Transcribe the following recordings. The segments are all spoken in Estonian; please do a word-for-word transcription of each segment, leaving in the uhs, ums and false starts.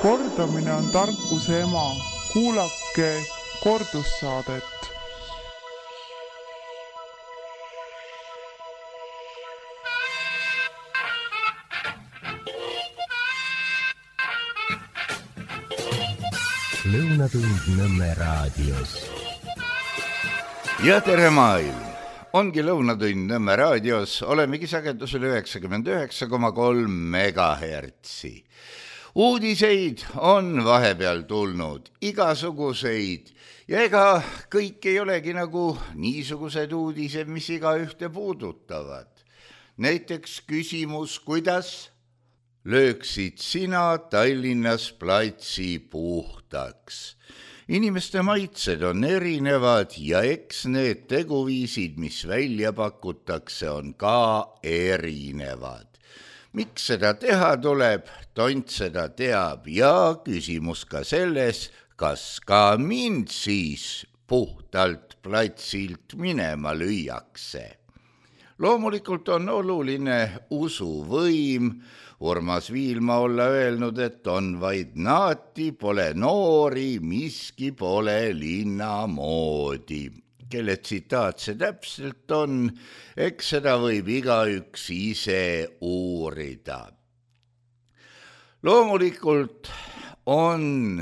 Kordamine on tarkuse ema. Kuulake kordussaadet. Lõunatund Nõmme raadios. Ja tere maailm! Ongi Lõunatund Nõmme raadios, olemegi sagedusel üheksakümmend üheksa koma kolm megahertsi. Uudiseid on vahepeal tulnud, igasuguseid, ja ega kõik ei olegi nagu niisugused uudised, mis iga ühte puudutavad. Näiteks küsimus, kuidas lööksid sina Tallinnas platsi puhtaks? Inimeste maitsed on erinevad ja eks need teguviisid, mis välja pakutakse, on ka erinevad. Miks seda teha tuleb, tont seda teab ja küsimus ka selles, kas ka mind siis puhtalt platsilt minema lüüakse. Loomulikult on oluline usuvõim. Urmas Viilma olla öelnud, et on vaid naati, pole noori, miski pole linna moodi. Kelle tsitaat see täpselt on, eks seda võib igaüks ise uurida. Loomulikult on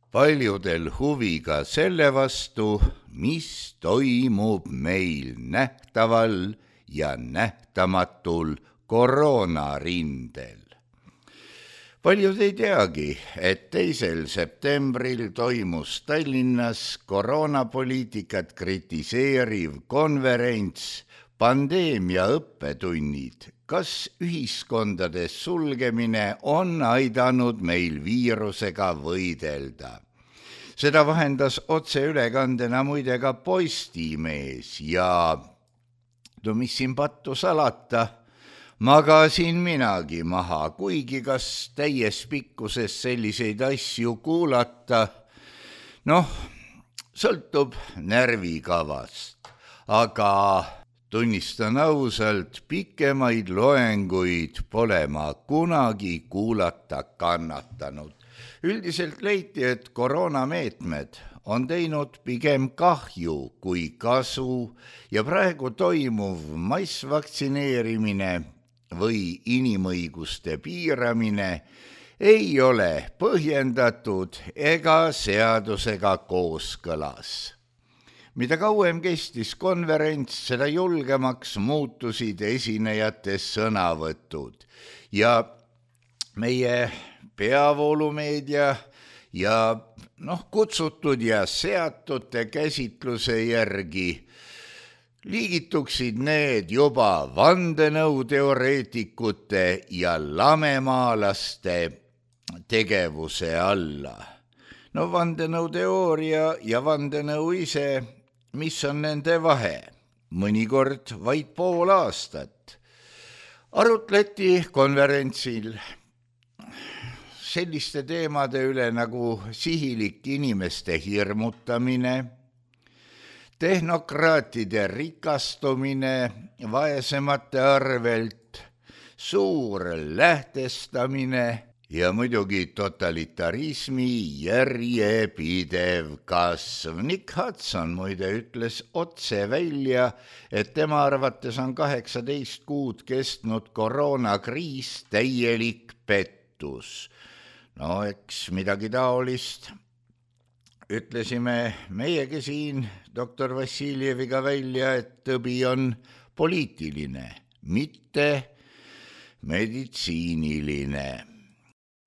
paljudel huvi ka selle vastu, mis toimub meil nähtaval ja nähtamatul koroonarindel. Paljud ei teagi, et teisel septembril toimus Tallinnas koroonapoliitikat kritiseeriv konverents Pandeemia õppetunnid. Kas ühiskondades sulgemine on aidanud meil viirusega võidelda? Seda vahendas otseülekandena muide ka Postimees ja no mis siin pattu salata, magasin minagi maha, kuigi kas täies pikkuses selliseid asju kuulata, noh, sõltub närvikavast, aga tunnistan ausalt, pikemaid loenguid pole ma kunagi kuulata kannatanud. Üldiselt leiti, et koroonameetmed on teinud pigem kahju kui kasu ja praegu toimuv massvaktsineerimine või inimõiguste piiramine ei ole põhjendatud ega seadusega kooskõlas. Mida kauem kestis konverents, seda julgemaks muutusid esinejate sõnavõtud ja meie peavoolumeedia ja noh, kutsutud ja seatute käsitluse järgi liigituksid need juba vandenõuteoreetikute ja lamemaalaste tegevuse alla. No vandenõuteooria ja vandenõu ise, mis on nende vahe? Mõnikord vaid pool aastat. Arutleti konverentsil selliste teemade üle nagu sihilik inimeste hirmutamine, tehnokraatide rikastumine vaesemate arvelt, suur lähtestamine ja muidugi totalitarismi järjepidev kasv. Nick Hudson muide ütles otse välja, et tema arvates on kaheksateist kuud kestnud koroonakriis täielik pettus. No eks midagi taolist ütlesime meiegi siin doktor Vassiljeviga välja, et tõbi on poliitiline, mitte meditsiiniline.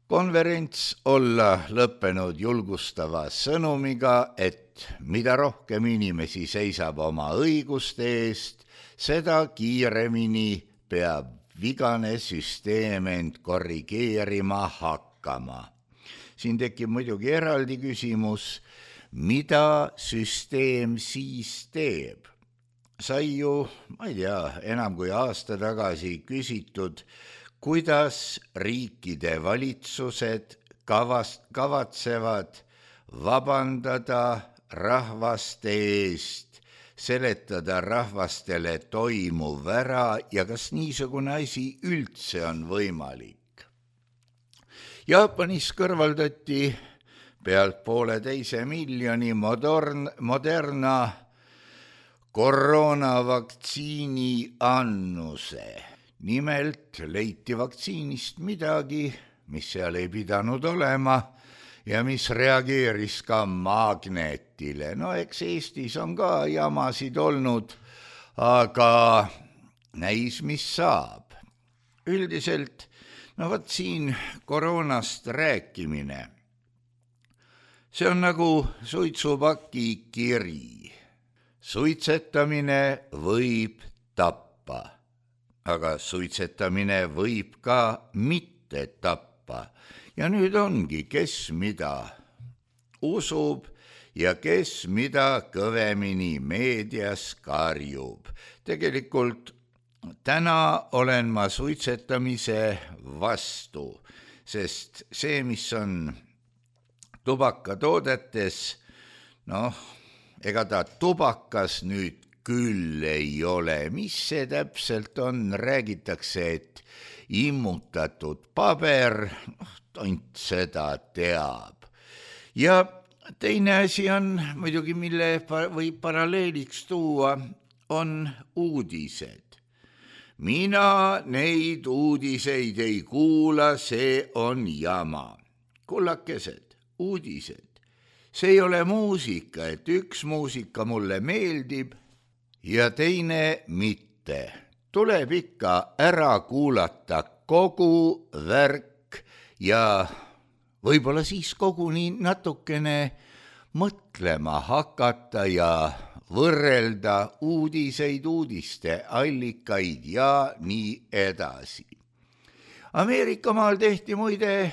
Konverents olla lõppenud julgustava sõnumiga, et mida rohkem inimesi seisab oma õiguste eest, seda kiiremini peab vigane süsteem end korrigeerima hakkama. Siin tekib muidugi eraldi küsimus, mida süsteem siis teeb. Sai ju, ma ei tea, enam kui aasta tagasi küsitud, kuidas riikide valitsused kavast, kavatsevad vabandada rahvaste eest, seletada rahvastele toimuv ära ja kas niisugune asi üldse on võimalik. Jaapanis kõrvaldati pealt pooleteise miljoni modern, Moderna koroonavaktsiini annuse. Nimelt leiti vaktsiinist midagi, mis seal ei pidanud olema ja mis reageeris ka magnetile. No eks Eestis on ka jamasid olnud, aga näis, mis saab. Üldiselt, no võt siin koroonast rääkimine. See on nagu suitsupaki kiri. Suitsetamine võib tappa, aga suitsetamine võib ka mitte tappa. Ja nüüd ongi, kes mida usub ja kes mida kõvemini meedias karjub. Tegelikult täna olen ma suitsetamise vastu, sest see, mis on tubakatoodetes, noh, ega ta tubakas nüüd küll ei ole. Mis see täpselt on? Räägitakse, et immutatud paber, tont seda teab. Ja teine asi on muidugi, mille võib paralleeliks tuua, on uudised. Mina neid uudiseid ei kuula, see on jama. Kullakesed, uudised. See ei ole muusika, et üks muusika mulle meeldib ja teine mitte. Tuleb ikka ära kuulata kogu värk ja võib-olla siis koguni natukene mõtlema hakata ja võrrelda uudiseid, uudiste allikaid ja nii edasi. Ameerikamaal tehti muide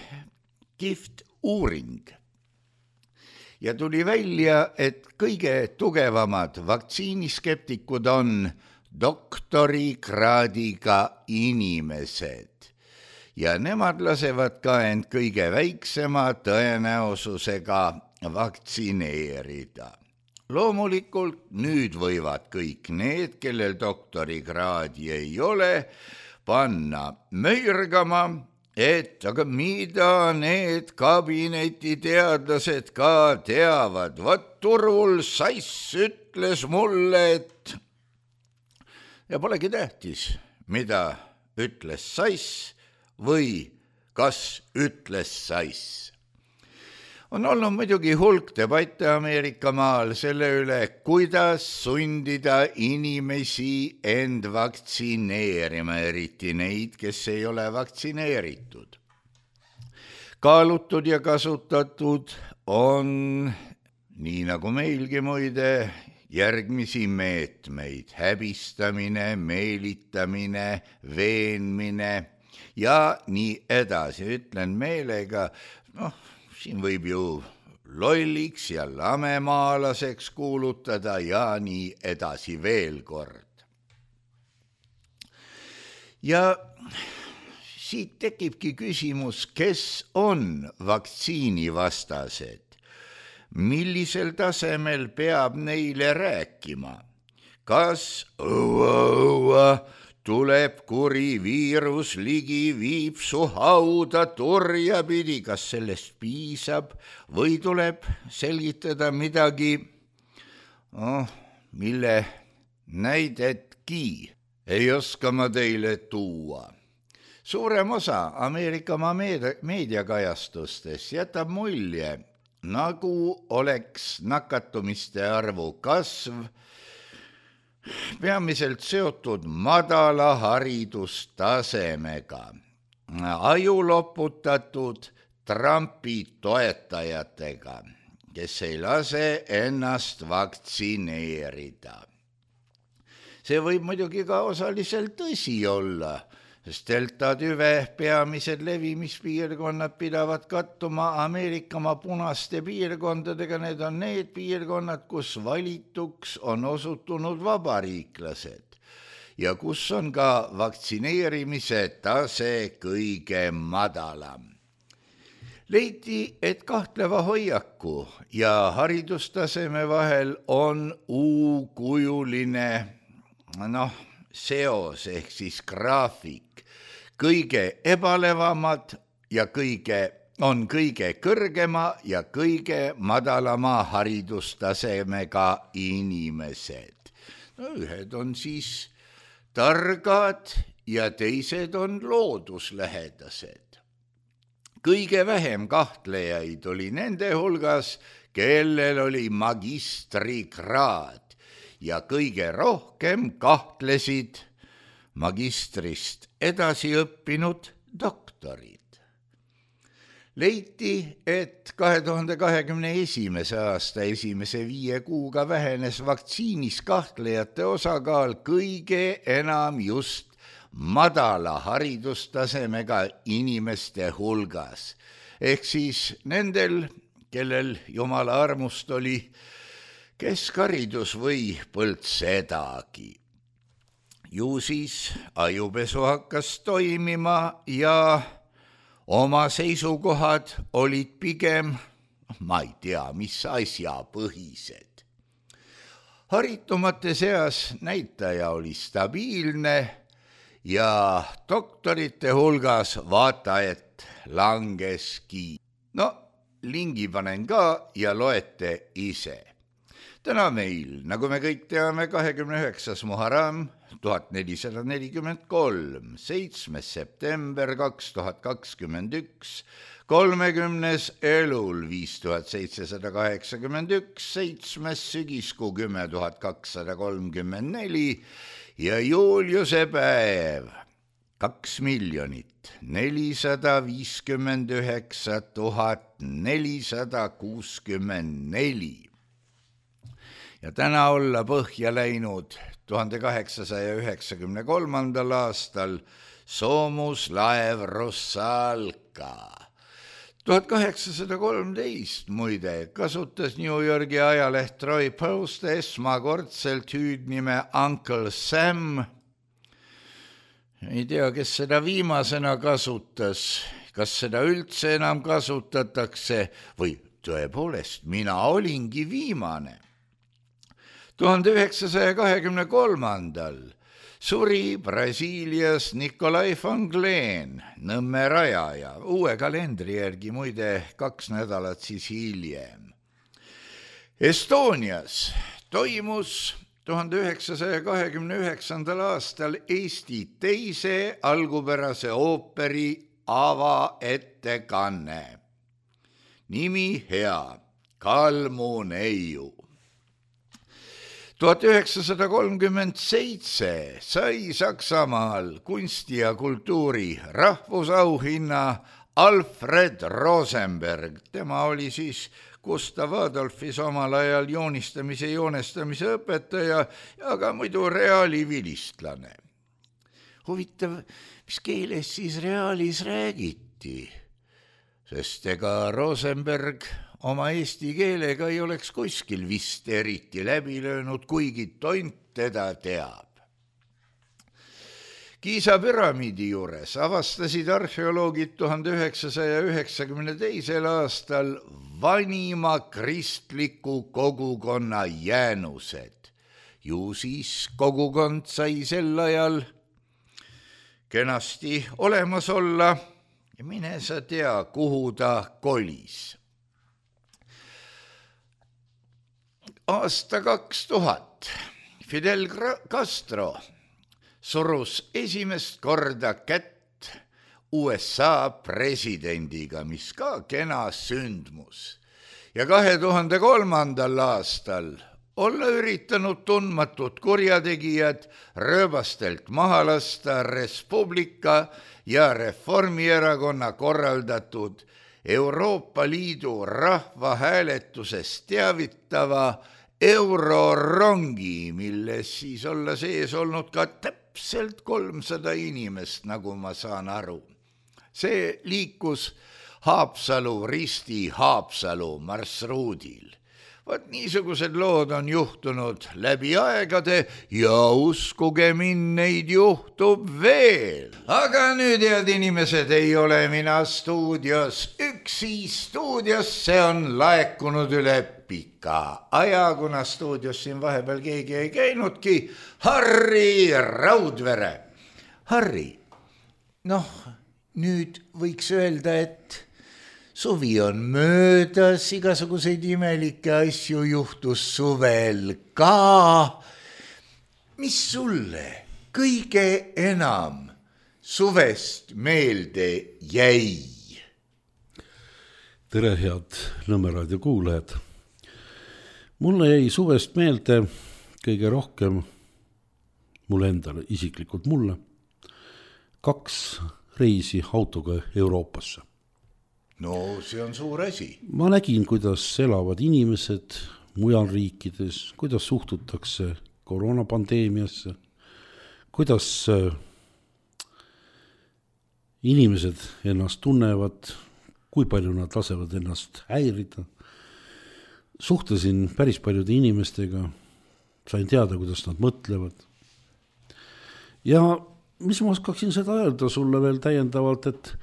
kihvt uuring. Ja tuli välja, et kõige tugevamad vaktsiiniskeptikud on doktorikraadiga inimesed. Ja nemad lasevad ka end kõige väiksema tõenäosusega vaktsineerida. Loomulikult nüüd võivad kõik need, kellel doktorikraadi ei ole, panna möirgama, et aga mida need kabinetiteadlased ka teavad. Vat Turul Sass ütles mulle, et ja polegi tähtis, mida ütles Sass või kas ütles Sass. On olnud muidugi hulk debatte Ameerika maal selle üle, kuidas sundida inimesi end vaktsineerima, eriti neid, kes ei ole vaktsineeritud. Kaalutud ja kasutatud on, nii nagu meilgi muide, järgmisi meetmeid: häbistamine, meelitamine, veenmine ja nii edasi. Ütlen meelega, noh, siin võib ju lolliks ja lamemaalaseks kuulutada ja nii edasi veel kord. Ja siit tekibki küsimus, kes on vaktsiinivastased? Millisel tasemel peab neile rääkima? Kas õua, õua, tuleb kuri viirus ligi, viib su hauda turja pidi, kas sellest piisab või tuleb selgitada midagi, oh, mille näidetki ei oska ma teile tuua. Suurem osa Ameerika meediakajastustes jätab mulje, nagu oleks nakatumiste arvu kasv peamiselt seotud madala haridustasemega, ajuloputatud Trumpi toetajatega, kes ei lase ennast vaktsineerida. See võib muidugi ka osaliselt tõsi olla, sest delta tüve peamised levimispiirkonnad pidavad kattuma Ameerikamaa punaste piirkondadega. Need on need piirkonnad, kus valituks on osutunud vabariiklased ja kus on ka vaktsineerimise tase kõige madalam. Leiti, et kahtleva hoiaku ja haridustaseme vahel on U-kujuline noh, seos ehk siis graafik. Kõige ebalevamad ja kõige on kõige kõrgema ja kõige madalama haridustasemega inimesed. No ühed on siis targad ja teised on looduslähedased. Kõige vähem kahtlejaid oli nende hulgas, kellel oli magistrikraad ja kõige rohkem kahtlesid magistrist edasi õppinud doktorid. Leiti, et kahe tuhande kahekümne esimese aasta esimese viie kuuga vähenes vaktsiinis kahtlejate osakaal kõige enam just madala haridustasemega inimeste hulgas. Ehk siis nendel, kellel jumala armust oli keskharidus või põld sedagi. Ju siis ajupesu hakkas toimima ja oma seisukohad olid pigem, ma ei tea, mis asja põhised. Haritumate seas näitaja oli stabiilne ja doktorite hulgas vaata, et langeski. No, lingi panen ka ja loete ise. Täna meil, nagu me kõik teame, kahekümne üheksas Muharram tuhat nelisada nelikümmend kolm, seitsmes september kaks tuhat kakskümmend üks, kolmekümnes Elul viis tuhat seitsesada kaheksakümmend üks, seitsmes sügiskuu kümme tuhat kakssada kolmkümmend neli ja Juliuse päev kaks miljonit nelisada viiskümmend üheksa tuhat nelisada kuuskümmend neli. Ja täna olla põhja läinud tuhande kaheksasaja üheksakümne kolmandal aastal soomuslaev Russalka. tuhat kaheksasada kolmteist muide kasutas New Yorgi ajaleht Troy Post esmakordselt hüüdnime Uncle Sam. Ei tea, kes seda viimasena kasutas, kas seda üldse enam kasutatakse või tõepoolest mina olingi viimane. tuhande üheksasaja kahekümne kolmandal suri Brasiilias Nikolai von Glen, Nõmme rajaja, uue kalendri järgi muide kaks nädalat siis hiljem. Estonias toimus tuhande üheksasaja kahekümne üheksandal aastal Eesti teise algupärase ooperi avaettekanne. Nimi hea, Kalmuneiu. tuhat üheksasada kolmkümmend seitse sai Saksamaal kunsti ja kultuuri rahvusauhinna Alfred Rosenberg. Tema oli siis Gustav Adolfis omal ajal joonistamise ja joonestamise õpetaja, aga muidu reaali vilistlane. Huvitav, mis keeles siis reaalis räägiti, sest ega Rosenberg oma eesti keelega ei oleks kuskil vist eriti läbi löönud, kuigi tont teda teab. Giza püramiidi juures avastasid arheoloogid tuhande üheksasaja üheksakümne teisel aastal vanima kristliku kogukonna jäänused. Ju siis kogukond sai sel ajal kenasti olemas olla ja mine sa tea, kuhu ta kolis. Aasta kaks tuhat Fidel Castro surus esimest korda kätt U S A presidendiga, mis ka kena sündmus. Ja kahe tuhande kolmandal aastal olla üritanud tundmatud kurjategijad rööbastelt maha lasta Respublika ja Reformierakonna korraldatud Euroopa Liidu rahvahääletusest teavitava eurorongi, milles siis olla sees olnud ka täpselt kolmsada inimest, nagu ma saan aru. See liikus Haapsalu, Risti Haapsalu marsruudil. Vaat niisugused lood on juhtunud läbi aegade ja uskuge mind, neid juhtub veel. Aga nüüd, head inimesed, ei ole mina stuudios üksi stuudios, see on laekunud üle pika aja, kuna stuudios siin vahepeal keegi ei käinudki. Harri Raudvere. Harri, noh, nüüd võiks öelda, et suvi on möödas, igasuguseid imelikke asju juhtus suvel ka. Mis sulle kõige enam suvest meelde jäi? Tere, head Nõmme raadio kuulajad. Mulle jäi suvest meelde kõige rohkem, mulle endale, isiklikult mulle, kaks reisi autoga Euroopasse. No see on suur asi. Ma nägin, kuidas elavad inimesed mujal riikides, kuidas suhtutakse koroonapandeemiasse, kuidas inimesed ennast tunnevad, kui palju nad lasevad ennast häirida. Suhtlesin päris paljude inimestega, sain teada, kuidas nad mõtlevad. Ja mis ma oskaksin seda öelda sulle veel täiendavalt, et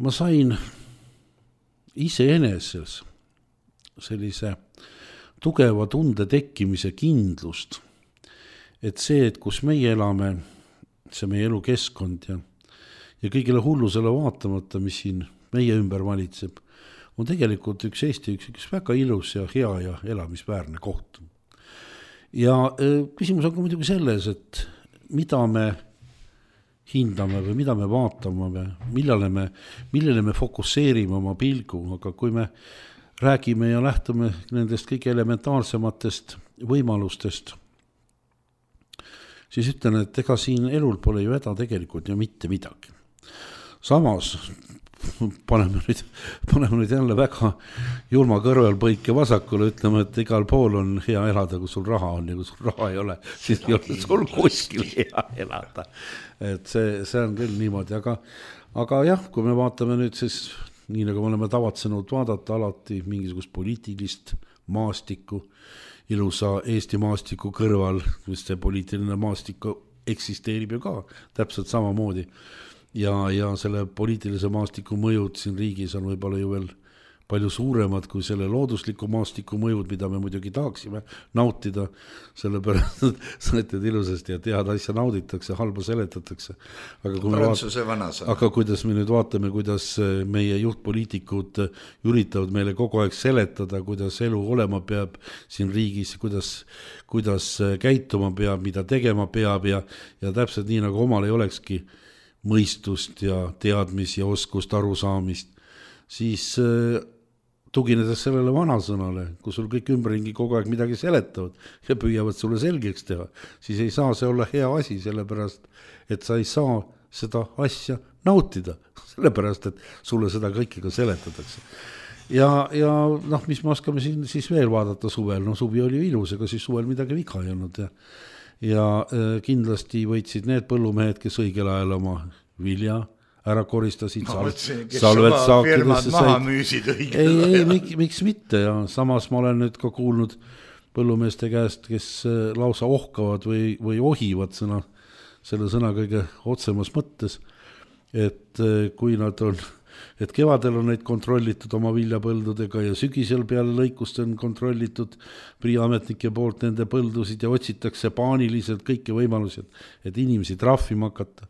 ma sain iseeneses sellise tugeva tunde tekkimise kindlust, et see, et kus meie elame, see meie elukeskkond ja, ja kõigile hullusele vaatamata, mis siin meie ümber valitseb, on tegelikult üks Eesti, üks, üks väga ilus ja hea ja elamisväärne koht. Ja äh, küsimus on ka muidugi selles, et mida me hindame või mida me vaatame või millele me, millele me fokusseerime oma pilgu, aga kui me räägime ja lähtume nendest kõige elementaarsematest võimalustest, siis ütlen, et ega siin elul pole ju häda tegelikult ju mitte midagi. Samas paneme nüüd, paneme nüüd jälle väga julma kõrvel põike vasakule, ütleme, et igal pool on hea elada, kui sul raha on ja kui sul raha ei ole, siis ei ole sul kuskil hea elada. Et see, see on küll niimoodi, aga, aga jah, kui me vaatame nüüd siis, nii nagu me oleme tavatsenud vaadata alati mingisugust poliitilist maastikku, ilusa Eesti maastiku kõrval, mis see poliitiline maastik eksisteerib ju ka täpselt samamoodi. Ja, ja selle poliitilise maastiku mõjud siin riigis on võib-olla ju veel palju suuremad kui selle loodusliku maastiku mõjud, mida me muidugi tahaksime nautida, sellepärast, et sõnetid ilusasti ja tead asja nauditakse, halba seletatakse. Aga, kui vaat... aga kuidas me nüüd vaatame, kuidas meie juhtpoliitikud üritavad meile kogu aeg seletada, kuidas elu olema peab siin riigis, kuidas, kuidas käituma peab, mida tegema peab ja, ja täpselt nii, nagu omal ei olekski mõistust ja teadmist ja oskust arusaamist, siis tuginedes sellele vanasõnale, kui sul kõik ümberringi kogu aeg midagi seletavad ja püüavad sulle selgeks teha, siis ei saa see olla hea asi, sellepärast, et sa ei saa seda asja nautida, sellepärast, et sulle seda kõike ka seletatakse. Ja, ja noh, mis me oskame siin siis veel vaadata suvel, no suvi oli ilus, ega siis suvel midagi viga ei olnud ja ja kindlasti võitsid need põllumehed, kes õigel ajal oma vilja ära koristasid, salvet saakidesse said. Ei, ei, miks, miks mitte ja samas ma olen nüüd ka kuulnud põllumeeste käest, kes lausa ohkavad või, või ohivad sõna, selle sõna kõige otsemas mõttes, et kui nad on et kevadel on neid kontrollitud oma viljapõldudega ja sügisel peale lõikust on kontrollitud priiametnike poolt nende põldusid ja otsitakse paaniliselt kõiki võimalusi, et inimesi trahvima hakata.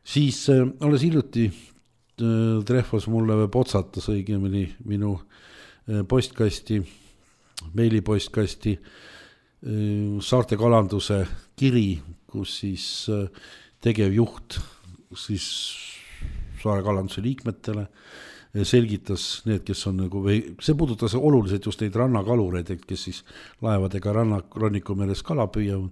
Siis äh, alles hiljuti äh, trehvas mulle või potsatas õigemini minu äh, postkasti, meilipostkasti äh, Saarte kalanduse kiri, kus siis äh, tegevjuht siis Saare kalanduse liikmetele selgitas need, kes on nagu, või see puudutas oluliselt just neid rannakalureid, kes siis laevadega ranna, rannikumeres kala püüavad.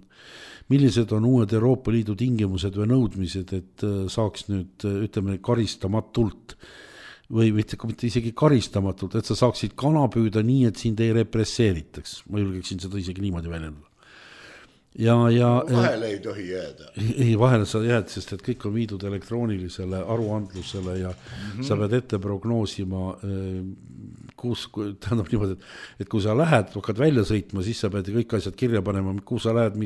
Millised on uued Euroopa Liidu tingimused või nõudmised, et saaks nüüd, ütleme, karistamatult või mitte, mitte isegi karistamatult, et sa saaksid kana püüda nii, et sind ei represseeritaks. Ma julgeksin seda isegi niimoodi väljendada. Ja, ja, vahele ei tohi jääda. Ei, vahele sa jääd, sest et kõik on viidud elektroonilisele aruandlusele ja mm-hmm. sa pead ette prognoosima, kus, tähendab niimoodi, et, et kui sa lähed, hakkad välja sõitma, siis sa pead kõik asjad kirja panema, kus sa lähed,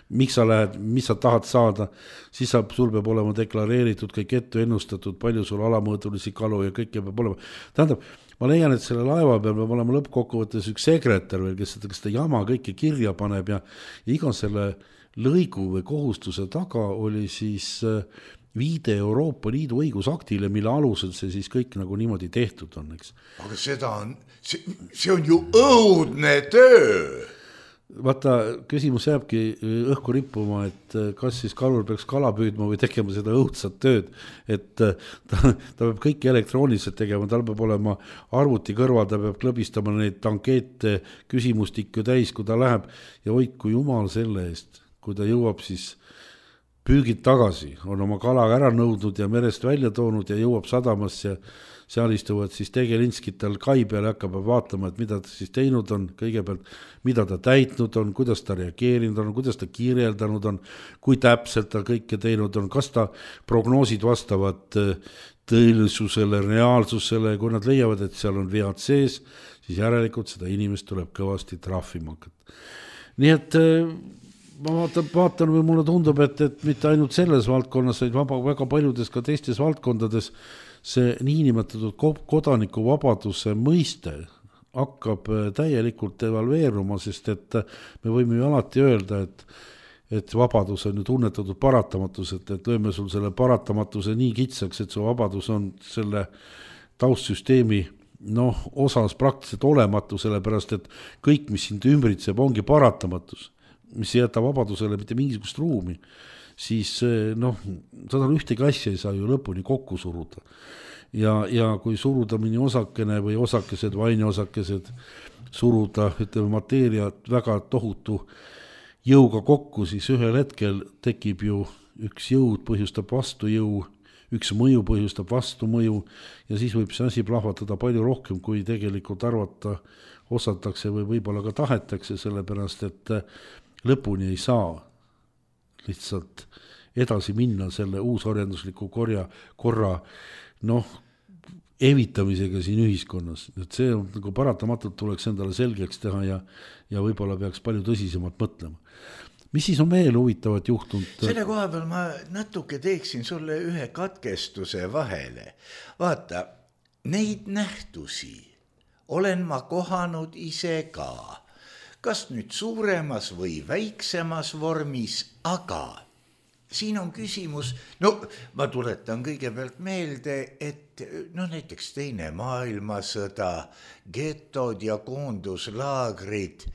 miks sa lähed, mis sa tahad saada, siis sa, sul peab olema deklareeritud, kõik ette ennustatud, palju sul alamõõdulisi kalu ja kõike peab olema. Tähendab, ma leian, et selle laeva peal peab olema lõppkokkuvõttes üks sekretär veel, kes seda, kes seda jama kõike kirja paneb ja iga selle lõigu või kohustuse taga oli siis viide Euroopa Liidu õigusaktile, mille alusel see siis kõik nagu niimoodi tehtud on, eks. Aga seda on, see, see on ju õudne töö. Vaata, küsimus jääbki õhku rippuma, et kas siis kalur peaks kala püüdma või tegema seda õudsat tööd, et ta, ta peab kõike elektrooniliselt tegema, tal peab olema arvuti kõrval, ta peab klõbistama neid ankeete, küsimustikku täis, kui ta läheb ja hoidku jumal selle eest, kui ta jõuab siis püügid tagasi, on oma kala ära nõudnud ja merest välja toonud ja jõuab sadamasse ja seal istuvad siis tegelinskid tal kai peal ja hakkab vaatama, et mida ta siis teinud on, kõigepealt mida ta täitnud on, kuidas ta reageerinud on, kuidas ta kirjeldanud on, kui täpselt ta kõike teinud on, kas ta prognoosid vastavad tõelisusele, reaalsusele, kui nad leiavad, et seal on vead sees, siis järelikult seda inimest tuleb kõvasti trahvima hakata. Nii et ma vaatan, vaatan või mulle tundub, et, et mitte ainult selles valdkonnas, vaid vaba, väga paljudes ka teistes valdkondades see niinimetatud kodanikuvabaduse mõiste hakkab täielikult evalveeruma, sest et me võime ju alati öelda, et, et vabadus on ju tunnetatud paratamatus, et, et lööme sul selle paratamatuse nii kitsaks, et su vabadus on selle taustsüsteemi noh, osas praktiliselt olematu, sellepärast et kõik, mis sind ümbritseb, ongi paratamatus, mis ei jäta vabadusele mitte mingisugust ruumi, siis noh, seda ühtegi asja ei saa ju lõpuni kokku suruda. Ja, ja kui suruda mini osakene või osakesed, vaineosakesed, suruda, ütleme, mateeriat väga tohutu jõuga kokku, siis ühel hetkel tekib ju üks jõud põhjustab vastu jõu, üks mõju põhjustab vastu mõju ja siis võib see asi plahvatada palju rohkem, kui tegelikult arvata osatakse või võib-olla ka tahetakse, sellepärast et lõpuni ei saa lihtsalt edasi minna selle uusoriendusliku korja, korra noh, evitamisega siin ühiskonnas. Et see on, nagu paratamatult tuleks endale selgeks teha ja, ja võib-olla peaks palju tõsisemalt mõtlema. Mis siis on veel huvitavat juhtunud? Selle koha peal ma natuke teeksin sulle ühe katkestuse vahele. Vaata, neid nähtusi olen ma kohanud ise ka. Kas nüüd suuremas või väiksemas vormis, aga siin on küsimus, no ma tuletan kõigepealt meelde, et no näiteks teine maailmasõda, getod ja koonduslaagrid,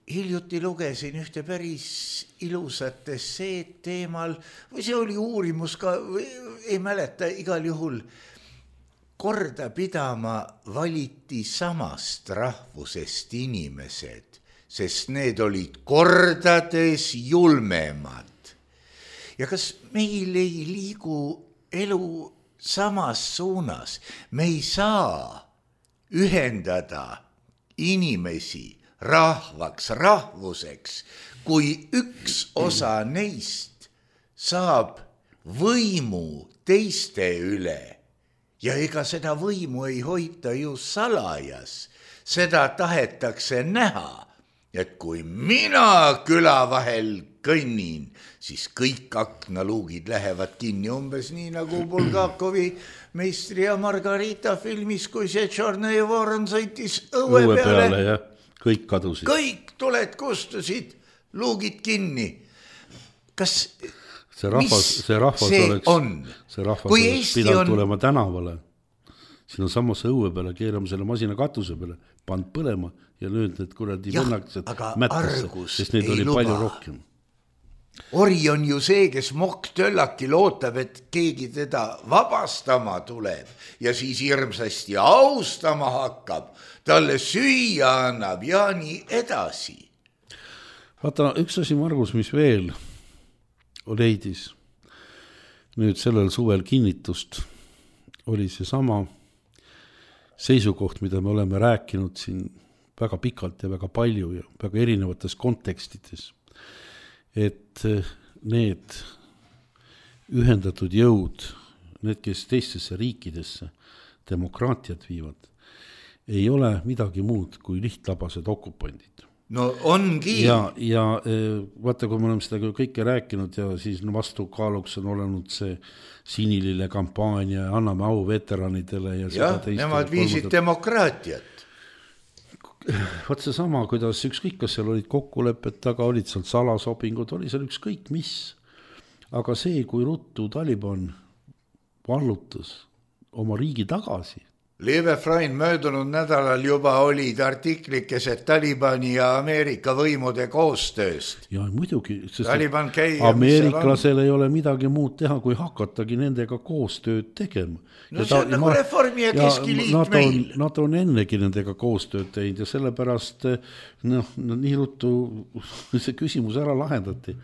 hiljuti lugesin ühte päris ilusat esseed teemal, või see oli uurimus ka, ei mäleta, igal juhul korda pidama valiti samast rahvusest inimesed, sest need olid kordades julmemad. Ja kas meil ei liigu elu samas suunas? Me ei saa ühendada inimesi rahvaks, rahvuseks, kui üks osa neist saab võimu teiste üle. Ja ega seda võimu ei hoita ju salajas. Seda tahetakse näha. Et kui mina küla vahel kõnnin, siis kõik aknaluugid lähevad kinni umbes nii nagu Bulgakovi Meistri ja Margarita filmis, kui see Tšornõi Voron sõitis õue, õue peale. peale ja kõik kadusid. Kõik tuled kustusid, luugid kinni. Kas, see rahvas, see rahvas see oleks, on? See rahvas kui oleks pidanud on... tulema tänavale. Siin on samas õue peale, keerame selle masina katuse peale, pand põlema ja nüüd need kuradi vennakesed mättasse, sest neid oli luba. Palju rohkem. Ori on ju see, kes mokktöllaki lootab, et keegi teda vabastama tuleb ja siis hirmsasti austama hakkab, talle süüa annab ja nii edasi. Vaata, üks asi, Margus, mis veel leidis nüüd sellel suvel kinnitust, oli see sama seisukoht, mida me oleme rääkinud siin väga pikalt ja väga palju ja väga erinevates kontekstides, et need ühendatud jõud, need, kes teistesse riikidesse demokraatiat viivad, ei ole midagi muud kui lihtlabased okupandid. No ongi. Ja, ja vaata, kui me oleme seda kõike rääkinud ja siis vastukaaluks on olenud see sinilille kampaania, anname au veteranidele. Ja, ja nemad viisid kolmandat... demokraatiat. Vaat see sama, kuidas ükskõik, kas seal olid kokkulepped taga, olid seal salasobingud, oli seal ükskõik mis. aga see, kui ruttu Taliban vallutas oma riigi tagasi. Lieve Freund, möödunud nädalal juba olid artiklikesed Talibani ja Ameerika võimude koostööst. Ja muidugi, sest käi, ameeriklasel ei ole midagi muud teha, kui hakatagi nendega koostööd tegema. No ja see on ta, nagu ma, Reformi ja Keskiliit nad meil. On, nad on ennegi nendega koostööd teinud ja sellepärast noh, nii ruttu see küsimus ära lahendati.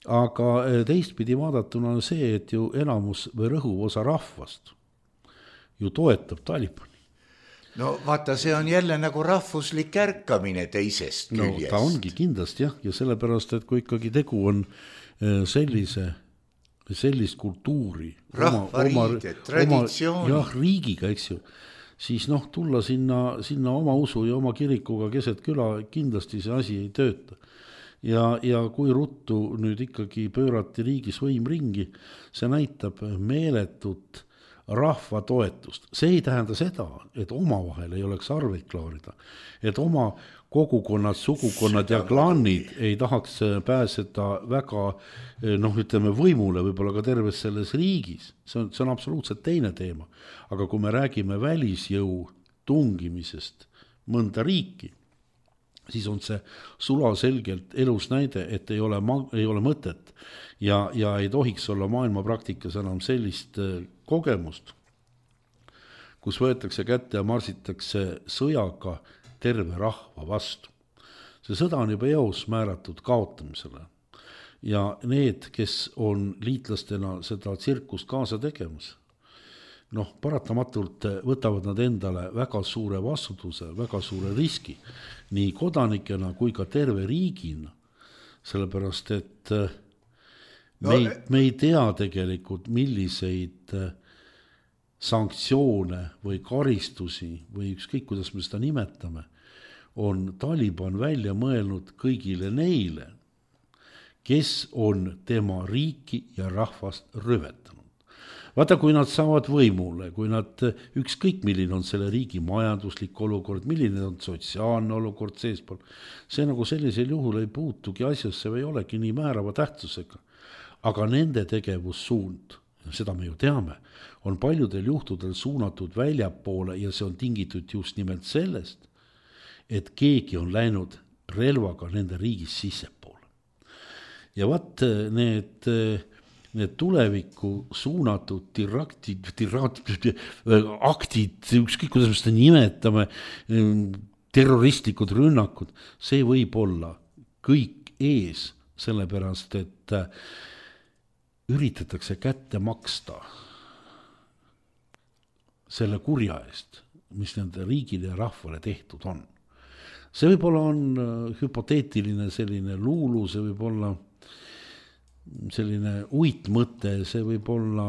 Aga teistpidi vaadatuna on see, et ju enamus või rõhuv osa rahvast ju toetab Talibani. No vaata, see on jälle nagu rahvuslik ärkamine teisest küljest. No ta ongi kindlasti jah, ja sellepärast, et kui ikkagi tegu on sellise, sellist kultuuri, rahvariide, traditsiooni. Jah, riigiga, eks ju, siis noh, tulla sinna, sinna oma usu ja oma kirikuga keset küla, kindlasti see asi ei tööta. Ja, ja kui ruttu nüüd ikkagi pöörati riigis võim ringi, see näitab meeletut rahva toetust. See ei tähenda seda, et omavahel ei oleks arveid klaarida, et oma kogukonnad, sugukonnad ja klannid ei tahaks pääseda väga, noh, ütleme võimule, võib-olla ka terves selles riigis. See on, see on absoluutselt teine teema. Aga kui me räägime välisjõu tungimisest mõnda riiki, siis on see sulaselgelt elus näide, et ei ole, ei ole mõtet ja, ja ei tohiks olla maailma praktikas enam sellist kogemust, kus võetakse kätte ja marsitakse sõjaga terve rahva vastu. See sõda on juba eos määratud kaotamisele ja need, kes on liitlastena seda tsirkust kaasa tegemas, noh, paratamatult võtavad nad endale väga suure vastutuse, väga suure riski, nii kodanikena kui ka terve riigina, sellepärast, et me ei, me ei tea tegelikult, milliseid sanktsioone või karistusi või ükskõik, kuidas me seda nimetame, on Taliban välja mõelnud kõigile neile, kes on tema riiki ja rahvast rüvetanud. Vaata, kui nad saavad võimule, kui nad ükskõik milline on selle riigi majanduslik olukord, milline on sotsiaalne olukord seespool, see nagu sellisel juhul ei puutugi asjasse või olegi nii määrava tähtsusega. Aga nende tegevussuund, seda me ju teame, on paljudel juhtudel suunatud väljapoole ja see on tingitud just nimelt sellest, et keegi on läinud relvaga nende riigis sissepoole. Ja vaat need... need tulevikku suunatud tiraktid, tiratid, aktid, ükskõik kuidas me seda nimetame, terroristlikud rünnakud, see võib olla kõik ees, sellepärast, et üritatakse kätte maksta selle kurja eest, mis nende riigile ja rahvale tehtud on. See võib-olla on hüpoteetiline selline luulu, see võib olla selline uitmõte, see võib olla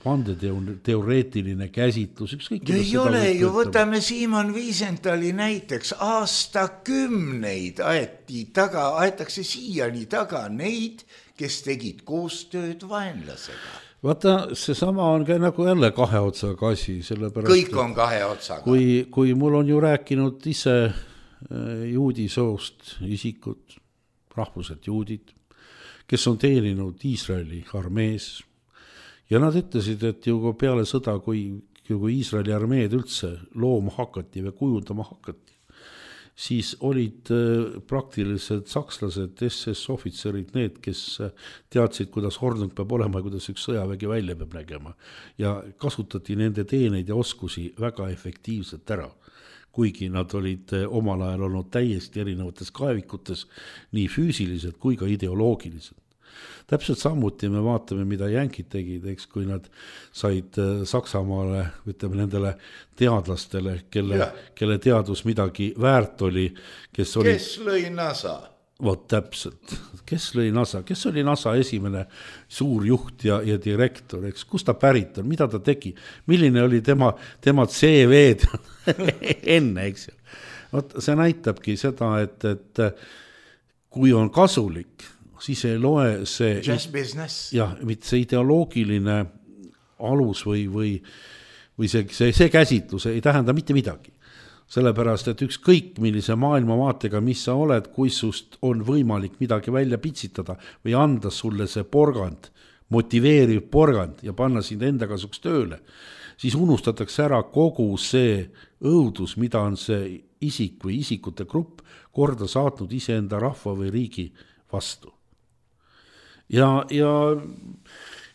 vandeteoreetiline käsitlus, ükskõik. Ei ole ju, võtame Simon Wiesenthali näiteks, aastakümneid aeti taga, aetakse siiani taga neid, kes tegid koostööd vaenlasega. Vaata, see sama on ka nagu jälle kahe otsaga asi, sellepärast. Kõik on kahe otsaga. Kui, kui mul on ju rääkinud ise juudi soost isikud, rahvuselt juudid, kes on teeninud Iisraeli armees. Ja nad ütlesid, et ju peale sõda, kui, kui Iisraeli armeed üldse looma hakati või kujundama hakati, siis olid praktiliselt sakslased, S S ohvitserid, need, kes teadsid, kuidas hordung peab olema ja kuidas üks sõjavägi välja peab nägema. Ja kasutati nende teeneid ja oskusi väga efektiivselt ära. Kuigi nad olid omal ajal olnud täiesti erinevates kaevikutes, nii füüsilised kui ka ideoloogilised. Täpselt samuti me vaatame, mida jänkid tegid, eks, kui nad said Saksamaale, ütleme nendele teadlastele, kelle, kelle teadus midagi väärt oli. Kes, oli, kes lõi NASA? Vot täpselt, kes lõi NASA? Kes oli NASA esimene suur juht ja, ja direktor, eks? Kus ta pärit on, mida ta tegi? Milline oli tema, tema C V-d enne, eks ju? Vot see näitabki seda, et, et kui on kasulik, siis ei loe see, jah, see ideoloogiline alus või, või, või see, see, see käsitlus ei tähenda mitte midagi. Sellepärast, et ükskõik millise maailmavaatega, mis sa oled, kui sust on võimalik midagi välja pitsitada või anda sulle see porgand motiveeriv porgand ja panna sind enda kasuks tööle, siis unustatakse ära kogu see õudus, mida on see isik või isikute grupp korda saatnud iseenda rahva või riigi vastu. Ja, ja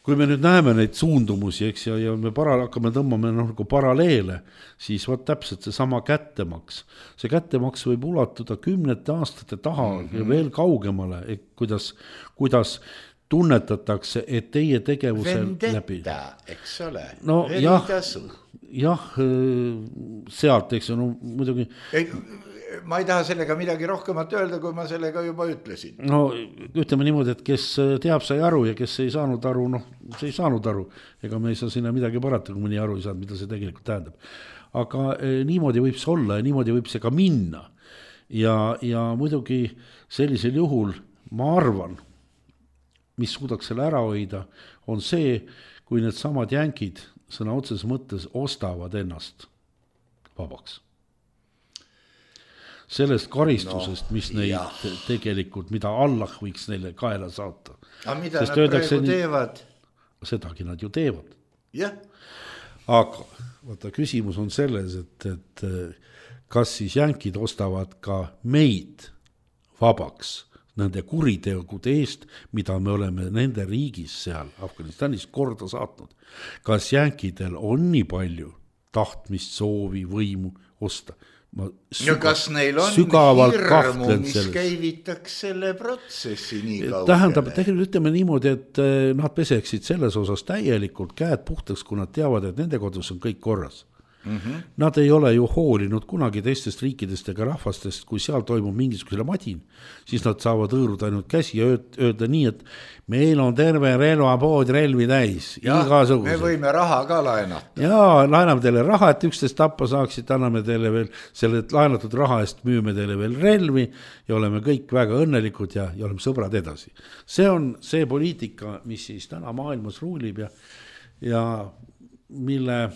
kui me nüüd näeme neid suundumusi, eks, ja, ja me para, hakkame tõmbame noh, nagu paralleele, siis vaat täpselt see sama kättemaks. See kättemaks võib ulatuda kümnete aastate taha mm-hmm. ja veel kaugemale, et kuidas, kuidas tunnetatakse, et teie tegevusel Vendetta, läbi. Eks ole. No jah, jah, sealt, eks, no muidugi. Ei, ma ei taha sellega midagi rohkemat öelda, kui ma sellega juba ütlesin. No ütleme niimoodi, et kes teab, sai aru ja kes ei saanud aru, noh, see ei saanud aru. Ega me ei saa sinna midagi parata, kui mõni aru ei saanud, mida see tegelikult tähendab. Aga eh, niimoodi võib see olla ja niimoodi võib see ka minna. Ja, ja muidugi sellisel juhul, ma arvan, mis suudaks selle ära hoida, on see, kui need samad jänkid sõna otseses mõttes ostavad ennast vabaks. Sellest karistusest, no, mis neid jah. Tegelikult, mida Allah võiks neile kaela saata. Aga mida Sest nad praegu nii, teevad? Sedagi nad ju teevad. Jah. Aga vaata, küsimus on selles, et, et kas siis jänkid ostavad ka meid vabaks nende kuritegude eest, mida me oleme nende riigis seal Afganistanis korda saatnud. Kas jänkidel on nii palju tahtmist, soovi, võimu osta? Ma süga, ja kas neil on hirmu, mis selles. Käivitaks selle protsessi nii kaugele? Tähendab, tegelikult ütleme niimoodi, et nad peseksid selles osas täielikult käed puhtaks, kui nad teavad, et nende kodus on kõik korras. Mm-hmm. Nad ei ole ju hoolinud kunagi teistest riikidest ega rahvastest, kui seal toimub mingisugusele madin, siis nad saavad õõruda ainult käsi ja öelda nii, et meil on terve relvapood relvi täis. Ja, me võime raha ka laenata. Ja, laename teile raha, et üksteist tappa saaksid, anname teile veel selle laenatud raha eest, müüme teile veel relvi ja oleme kõik väga õnnelikud ja, ja oleme sõbrad edasi. See on see poliitika, mis siis täna maailmas ruulib ja, ja mille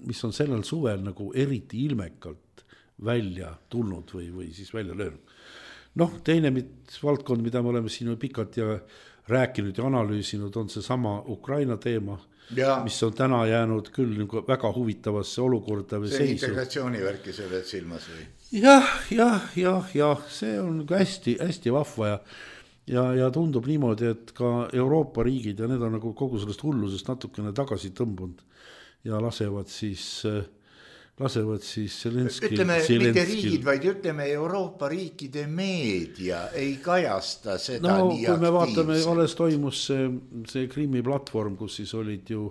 mis on sellel suvel nagu eriti ilmekalt välja tulnud või, või siis välja löönud. Noh, teine valdkond, mida me oleme siin pikalt ja rääkinud ja analüüsinud, on see sama Ukraina teema, ja. Mis on täna jäänud küll nagu väga huvitavasse olukorda. See seisu. Integratsioonivärki sa veel silmas või? Jah, jah, jah, jah, see on hästi, hästi vahva ja, ja, ja tundub niimoodi, et ka Euroopa riigid ja need on nagu kogu sellest hullusest natukene tagasi tõmbunud. Ja lasevad siis, lasevad siis Zelenski. Ütleme, mitte riigid, vaid ütleme Euroopa riikide meedia ei kajasta seda no, nii aktiivselt. No, kui me vaatame, alles toimus see, see Krimmi platvorm, kus siis olid ju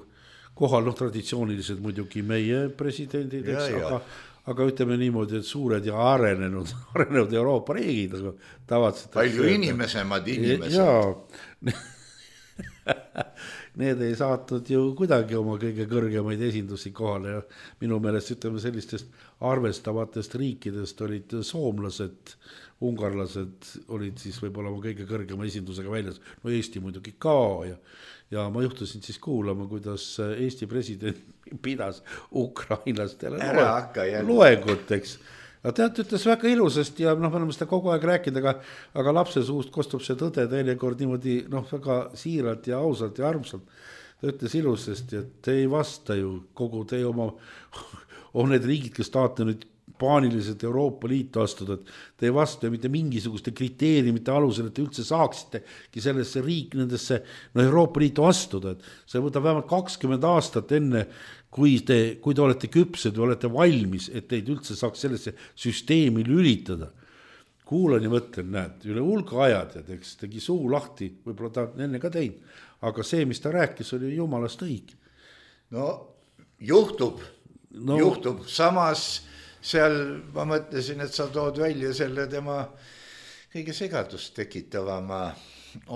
kohal, noh, traditsioonilised muidugi meie presidendid, eks, ja, aga, aga ütleme niimoodi, et suured ja arenenud, arenenud Euroopa riigid. Tavatselt, palju inimesemad inimesed. Jaa. Need ei saatnud ju kuidagi oma kõige kõrgemaid esindusi kohale ja minu meelest ütleme sellistest arvestavatest riikidest olid soomlased, ungarlased olid siis võib-olla oma kõige kõrgema esindusega väljas, no Eesti muidugi ka ja, ja ma juhtusin siis kuulama, kuidas Eesti president pidas ukrainlastele loengut, eks. Ja tead, ütles väga ilusasti ja noh, me oleme seda kogu aeg rääkinud, aga, aga lapse suust kostub see tõde teinekord niimoodi noh, väga siiralt ja ausalt ja armsalt. Ta ütles ilusasti, et te ei vasta ju kogu teie oma, on need riigid, kes tahate nüüd paaniliselt Euroopa Liitu astuda, et te ei vasta mitte mingisuguste kriteeriumite alusel, et te üldse saaksitegi sellesse riik nendesse no Euroopa Liitu astuda, et see võtab vähemalt kakskümmend aastat enne, kui te, kui te olete küpsed või olete valmis, et teid üldse saaks sellesse süsteemi lülitada. Kuulan ja mõtlen, näed, üle hulga ajad ja teks, tegi suu lahti, võib-olla ta enne ka tein, aga see, mis ta rääkis, oli jumalast õige. No juhtub, no, juhtub, samas seal ma mõtlesin, et sa tood välja selle tema kõige segadust tekitavama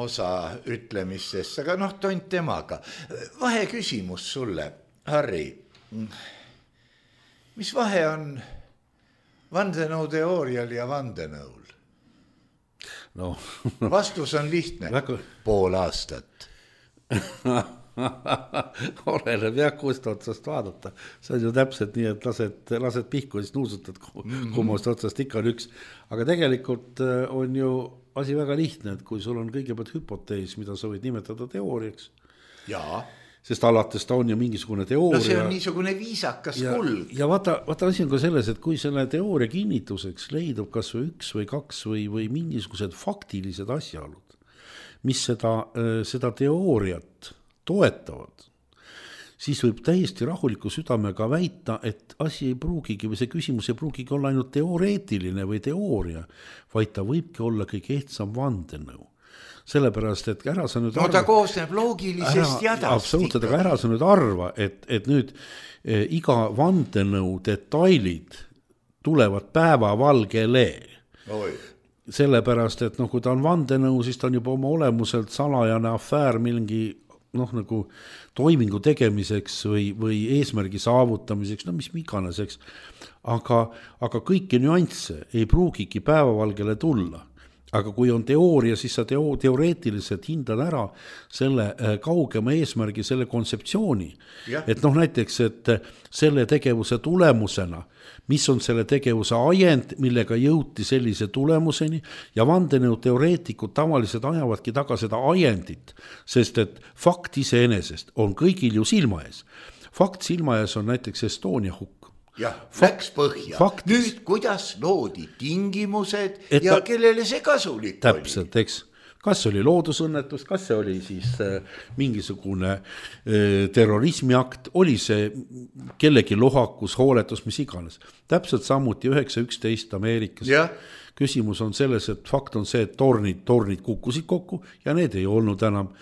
osa ütlemistest, aga noh, tont temaga. Vahe küsimus sulle, Harri, mis vahe on vandenõu teoorial ja vandenõul? No, no. Vastus on lihtne, väga... pool aastat. Oleneb jah, kust otsast vaadata. See on ju täpselt nii, et lased, lased pihku ja siis nuusutad, kummast otsast ikka on üks. Aga tegelikult on ju asi väga lihtne, et kui sul on kõigepealt hüpotees, mida sa võid nimetada teooriaks, Jaa. Sest alates ta on ju mingisugune teooria. No see on niisugune viisakas ja, kulg. Ja vaata, vaata asi on ka selles, et kui selle teooria kinnituseks leidub kas või üks või kaks või, või mingisugused faktilised asjaolud, mis seda, seda teooriat toetavad, siis võib täiesti rahuliku südamega väita, et asi ei pruugigi või see küsimus ei pruugigi olla ainult teoreetiline või teooria, vaid ta võibki olla kõige ehtsam vandenõu. Sellepärast, et ära sa nüüd no arva, ta koosneb loogilisest jadast. Absoluutselt, aga ära sa nüüd arva, et, et nüüd eh, iga vandenõu detailid tulevad päevavalgele. Oi. Sellepärast, et noh, kui ta on vandenõu, siis ta on juba oma olemuselt salajane afäär mingi noh, nagu toimingu tegemiseks või, või eesmärgi saavutamiseks, no mis iganeseks, aga, aga kõiki nüansse ei pruugigi päevavalgele tulla. Aga kui on teooria, siis sa teo, teoreetiliselt hindad ära selle kaugema eesmärgi, selle kontseptsiooni. Ja. Et noh, näiteks, et selle tegevuse tulemusena, mis on selle tegevuse ajend, millega jõuti sellise tulemuseni ja vandenõu teoreetikud tavaliselt ajavadki taga seda ajendit, sest et fakt iseenesest on kõigil ju silma ees. Fakt silma ees on näiteks Estonia hukk. Jah, läks põhja. Faktis. Nüüd, kuidas loodi tingimused et ja ta, kellele see kasulik täpselt, oli? Täpselt, eks. Kas oli loodusõnnetus, kas see oli siis äh, mingisugune äh, terrorismiakt, oli see kellegi lohakus, hooletus, mis iganes. Täpselt samuti üheksa üksteist Ameerikas. Ja. Küsimus on selles, et fakt on see, et tornid, tornid kukkusid kokku ja need ei olnud enam.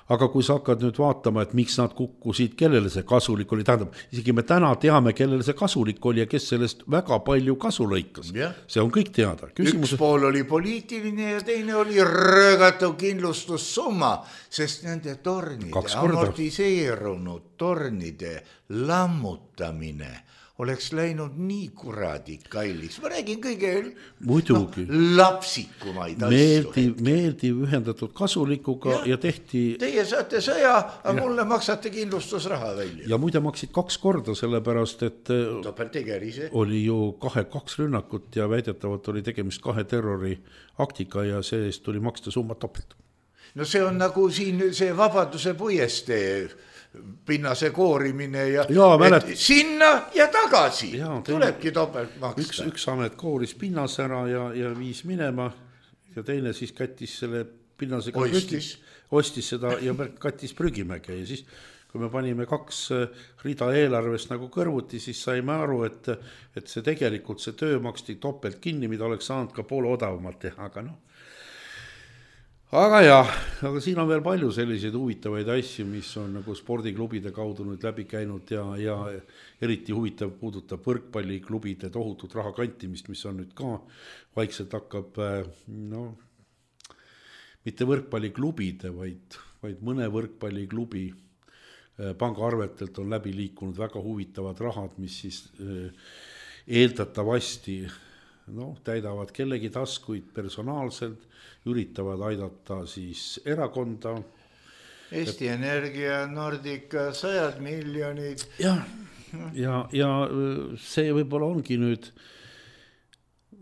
Aga kui sa hakkad nüüd vaatama, et miks nad kukkusid, kellele see kasulik oli, tähendab, isegi me täna teame, kellele see kasulik oli ja kes sellest väga palju kasu lõikas. Ja. See on kõik teada. Küsimus... Üks pool oli poliitiline ja teine oli röögatu kindlustussumma, sest nende tornide, amortiseerunud tornide lammutamine oleks läinud nii kuradi kalliks. Ma räägin kõige Muidugi. No, lapsikumaid meeldiv, asju. Meeldiv ühendatud kasulikuga ja, ja tehti... Teie saate sõja, aga ja. Mulle maksate kindlustusraha välja. Ja muide maksid kaks korda, sellepärast, et Topeltegerise. Oli ju kahe kaks rünnakut ja väidetavalt oli tegemist kahe terroriaktiga ja see eest tuli maksta summa topelt. No see on nagu siin see Vabaduse puiestee pinnase koorimine ja, ja mälet... sinna ja tagasi ja, tulebki topelt maksta. Üks, üks amet kooris pinnase ära ja, ja viis minema ja teine siis kattis selle pinnasega ostis. ostis seda ja kattis prügimäge ja siis kui me panime kaks rida eelarvest nagu kõrvuti, siis saime aru, et, et see tegelikult see töö maksti topelt kinni, mida oleks saanud ka poole odavamalt teha, aga noh. Aga jah, aga siin on veel palju selliseid huvitavaid asju, mis on nagu spordiklubide kaudu nüüd läbi käinud ja, ja eriti huvitav puudutab võrkpalliklubide tohutut raha kantimist, mis on nüüd ka vaikselt hakkab, no, mitte võrkpalliklubide, vaid, vaid mõne võrkpalliklubi pangaarvetelt on läbi liikunud väga huvitavad rahad, mis siis eeldatavasti no, täidavad kellegi taskuid personaalselt, üritavad aidata siis erakonda. Eesti Energia, Nordica, sajad miljonid. Ja, ja, ja see võib-olla ongi nüüd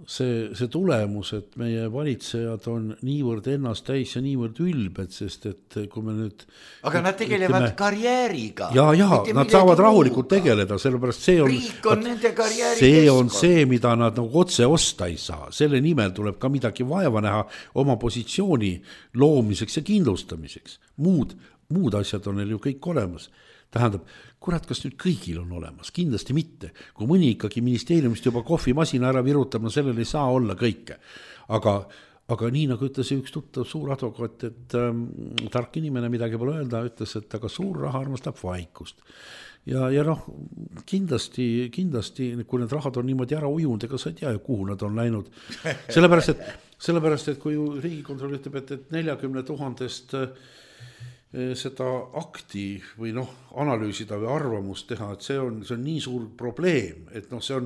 see, see tulemus, et meie valitsejad on niivõrd ennast täis ja niivõrd ülbed, sest et kui me nüüd... Aga nad tegelevad ütleme, karjääriga. Ja, ja, nad saavad rahulikult muuga. Tegeleda, sellepärast see on... Riik on nende karjääri see keskkond. On see, mida nad nagu otse osta ei saa. Selle nimel tuleb ka midagi vaeva näha oma positsiooni loomiseks ja kindlustamiseks. Muud, muud asjad on neil ju kõik olemas. Tähendab, kurat, kas nüüd kõigil on olemas? Kindlasti mitte. Kui mõni ikkagi ministeeriumist juba kohvimasina ära virutab, no sellel ei saa olla kõike. Aga, aga nii nagu ütles üks tuttav suur advokaat, et ähm, tark inimene midagi pole öelda, ütles, et aga suur raha armastab vaikust. Ja, ja noh, kindlasti, kindlasti, kui need rahad on niimoodi ära ujunud, ega sa ei tea, kuhu nad on läinud. Sellepärast, et, sellepärast, et kui Riigikontroll ütleb, et, et neljakümne tuhandest seda akti või noh, analüüsida või arvamust teha, et see on, see on nii suur probleem, et noh, see on,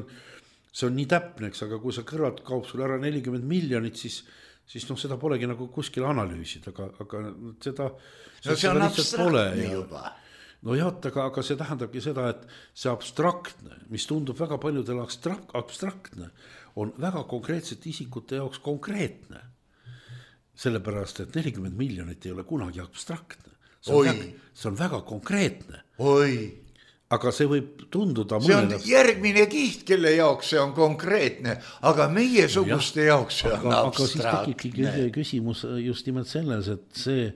see on nii täpneks, aga kui sa kõrvalt kaob sul ära nelikümmend miljonit, siis, siis noh, seda polegi nagu kuskil analüüsida, aga, aga seda, no see on abstraktne juba. No jah, aga, aga see tähendabki seda, et see abstraktne, mis tundub väga paljudel abstraktne, on väga konkreetsete isikute jaoks konkreetne. Sellepärast, et nelikümmend miljonit ei ole kunagi abstraktne. see on, väga, see on väga konkreetne. Oi. Aga see võib tunduda see on mõnele... järgmine kiht, kelle jaoks see on konkreetne, aga meie suguste ja, jaoks see on aga, abstraktne. Aga siis tekibki küsimus just nimelt selles, et see